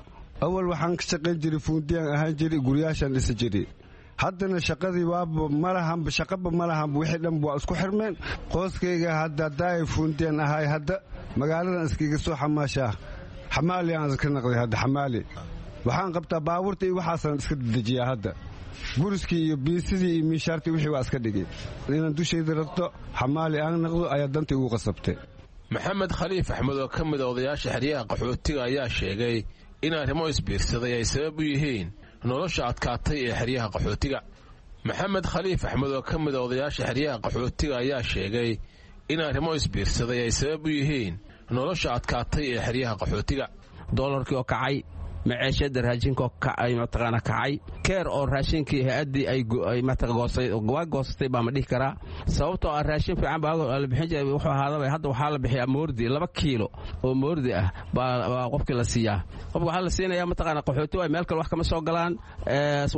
Speaker 4: Awal waxaan ka shaqayn jiray, fuundiyaan ahaan jiray, guryaashaan dhisi jiray. Haddana shaqadii waaba malahanba, shaqaba malahanba, wixii dhan waa isku xirmeen. Qoyskayga hadda haddaay fuundiyaan ahay, hadda magaaladan iskaga soo xamaashaa, xamaali aan iska naqday. Hadda xamaali waxaan qabtaa, baabuurta iyo waxaasaan iska dedejiyaa. Hadda guriskii iyo biisidii iyo miishaartii wixii waa iska dhigay. Inaan dushayda rarto, xamaali aan naqdo ayaa danta igu qasabtay.
Speaker 21: Maxamed Khaliif Axmed oo ka mid a odayaasha xeryaha qaxootiga ayaa sheegay in arrimo isbiirsaday ay sabab u yihiin nolosha adkaatay ee xeryaha qaxootiga. Maxamed Khaliif Axmed oo ka mid a odayaasha xeryaha qaxootiga ayaa sheegay in arrimo isbiirsaday ay sabab u yihiin nolosha adkaatay ee xeryaha qaxootiga.
Speaker 5: Doolarkii oo kacay, maceeshada raashinka mataqaana kacay, keer oo raashinkii hay-addii ay waa goosatay baa ma dhihi karaa, sababtoo ah raashin fiican baa la bixin jiray. Wuxuu ahaadaba hadda waxaa la bixiyaa moordi, laba kiilo oo moordi ah baa qofkii la siiyaa. Qofka waxaa la siinayaa, mataqaana, qaxooti waay, meel kale wax kama soo galaan.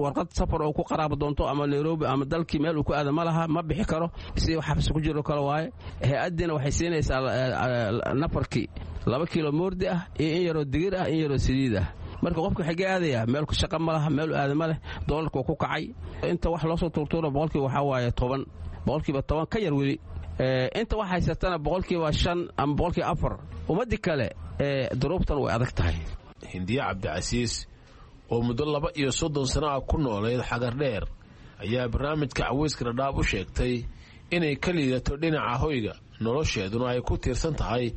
Speaker 5: Warqad safar oo ku qaraabo doonto ama Nairobi ama dalkii meel uu ku aada ma laha, ma bixi karo, si xabsi ku jiro kale waaye. Hay-addiina waxay siinaysaa nafarkii laba kiilo moordi ah iyo in yaroo digir ah, in yaroo saliid ah. Marka qofka xagee aadaya? Meel shaqa ma laha, meel aada ma leh. Doolarka waa ku kacay. Inta wax loosoo tuurtuuro boqolkiiba waxaa waaye toban, boqolkiiba toban ka yar weli. Inta wax haysatana boqolkiiba shan ama boqolkiiba afar. Ummaddii kale duruubtan way adag tahay.
Speaker 21: Hindiye Cabdicasiis oo muddo laba iyo soddon sano ah ku noolayd Xagardheer ayaa barnaamijka Caweyska Dhadhaab u sheegtay inay ka liidato dhinaca hoyga, nolosheeduna ay ku tiirsan tahay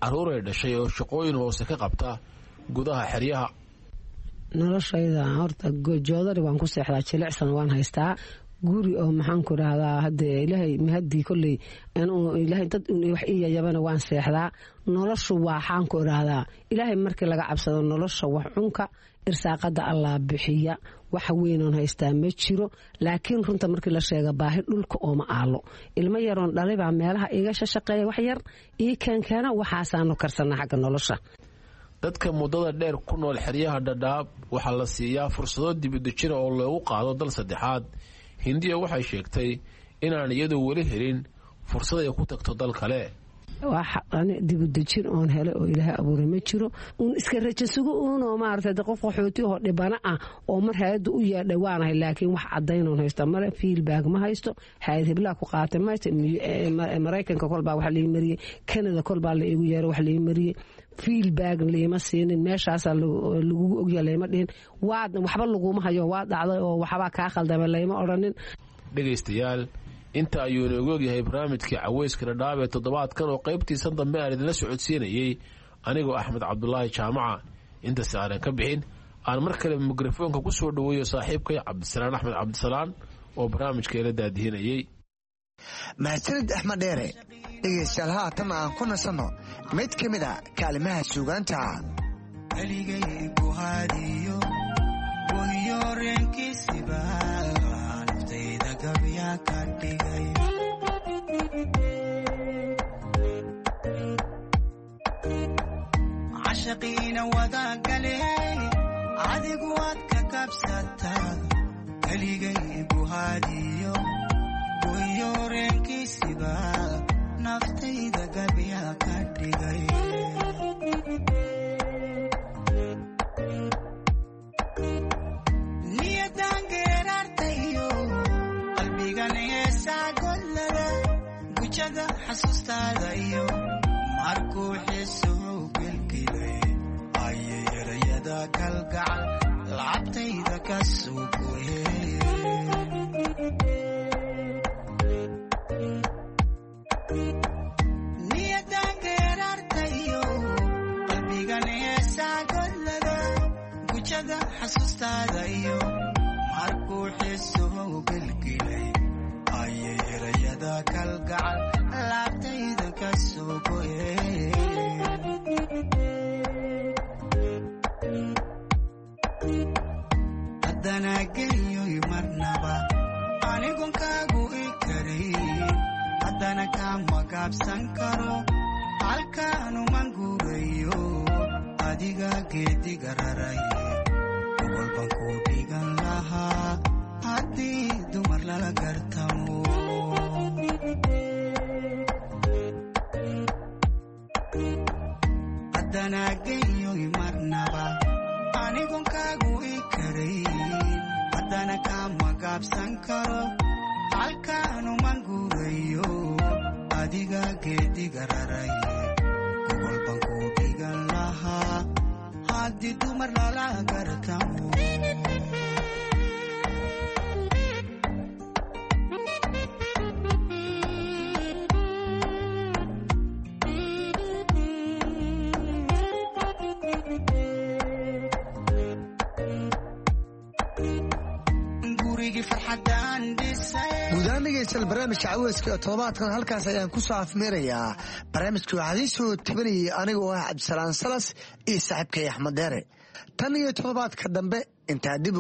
Speaker 21: carruuray dhashay oo shaqooyin hoose ka qabta gudaha xeryaha.
Speaker 23: Noloshayda horta joodari waan ku seexdaa, jilicsan waan haystaa, guri oo maxaan ku rahdaa hadee Ilaahay mahadii kolley Ilaahay dad wax ii yayabana waan seexdaa. Noloshu waxaan ku idhaahdaa, Ilaahay markii laga cabsado, nolosha wax cunka irsaaqada Allah bixiya. Wax weynoon haystaa ma jiro, laakiin runta markii la sheega baahi dhulka ooma aalo. Ilmo yaroon dhalay baa meelaha iga shashaqeeya, wax yar ii keenkeena, waxaasaanu karsanaa xagga nolosha.
Speaker 21: Dadka muddada dheer ku nool xeryaha Dhadhaab waxaa la siiyaa fursado dibudejina oo loogu qaado dal saddexaad. Hindiya waxay sheegtay inaan iyadu weli helin fursad ay ku tagto dal kale.
Speaker 23: Dibudejin oon helay oo Ilaahay abuuray ma jiro. Uun iska rajo sugo uunoo maaragtay qof qaxooti oo dhibana ah oo mar hay-adda u yeedhay waanahay, laakiin wax caddaynoon haysta male. Feedback ma haysto, hay-ad hiblaa ku qaatay ma haysto. Maraykanka kolbaa wax lii mariyey, Canada kolbaa la iigu yeeray, wax lii mariyey, feedback liima siinin. Meeshaasaa lagugu ogya layma dhihin, waad waxba laguma hayo, waa dhacday oo waxbaa kaa khaldamay layma odhanin.
Speaker 21: Dhegaystayaal, inta ayuu inoogu ogyahay barnaamijkii Caweyska Dhadhaab ee toddobaadkan oo qaybtiisan dambe aan idinla socodsiinayey anigoo Axmed Cabdulaahi Jaamaca. Intasi aanan ka bixin, aan mar kale mikrofoonka ku soo dhoweeyo saaxiibkay Cabdisalaan Axmed Cabdisalaan oo barnaamijka ila daadihinayey.
Speaker 16: Mahadsanid Axmed Dheere. Dhegaystayaal, haatan aan ku nasanno mid ka mid a kaalimaha suugaanta.
Speaker 15: Keligay buhaadiyo wahiyo reenkiisiba naftayda gabya ka dhigay. Cashaqiina wadaagale, adigu waad ka kabsataa. Keligay buhaadiyo wahiyo reenkiisiba naftayda gabya ka dhigay. Niyadangeeraartayo qalbigan heesaa gollada gujada xasuustaada iyo markuu xiisuhu gelgilay ayay erayada kalgacal lacabtayda ka soo goye. Niyadangeeraartayo qalbigan heesaa gollada gujada xasuustaada iyo markuu xiisuhu gelgilay ayay erayada kalgacal laabtayda ka soo goye. Haddana geyoy marnaba anigon kaagu i karay. Haddana kama gaabsan karo, halkaanuman guurayo, adiga geediga raraye. Gogol baan ku dhigan lahaa haddii dumar lala gartamo. Haddana geyoy marnaba anigon kaagu i karayn, haddana kama gaabsan karo, halkaanuman guurayo, adiga geediga raraye. Gogol baan ku dhigan lahaa haddii dumar lala gartamo. Gurigii farxadaan dhisay.
Speaker 16: Guud ahaan dhegeystayaal, barnaamijka caweyska ee toddobaadkan halkaas ayaan ku soo afmeerayaa. Barnaamijka waxaa idiin soo tabanayay aniga oo ah Cabdisalaan Salas iyo saaxiibkay Axmed Deere. Tan iyo toddobaadka dambe intaa dib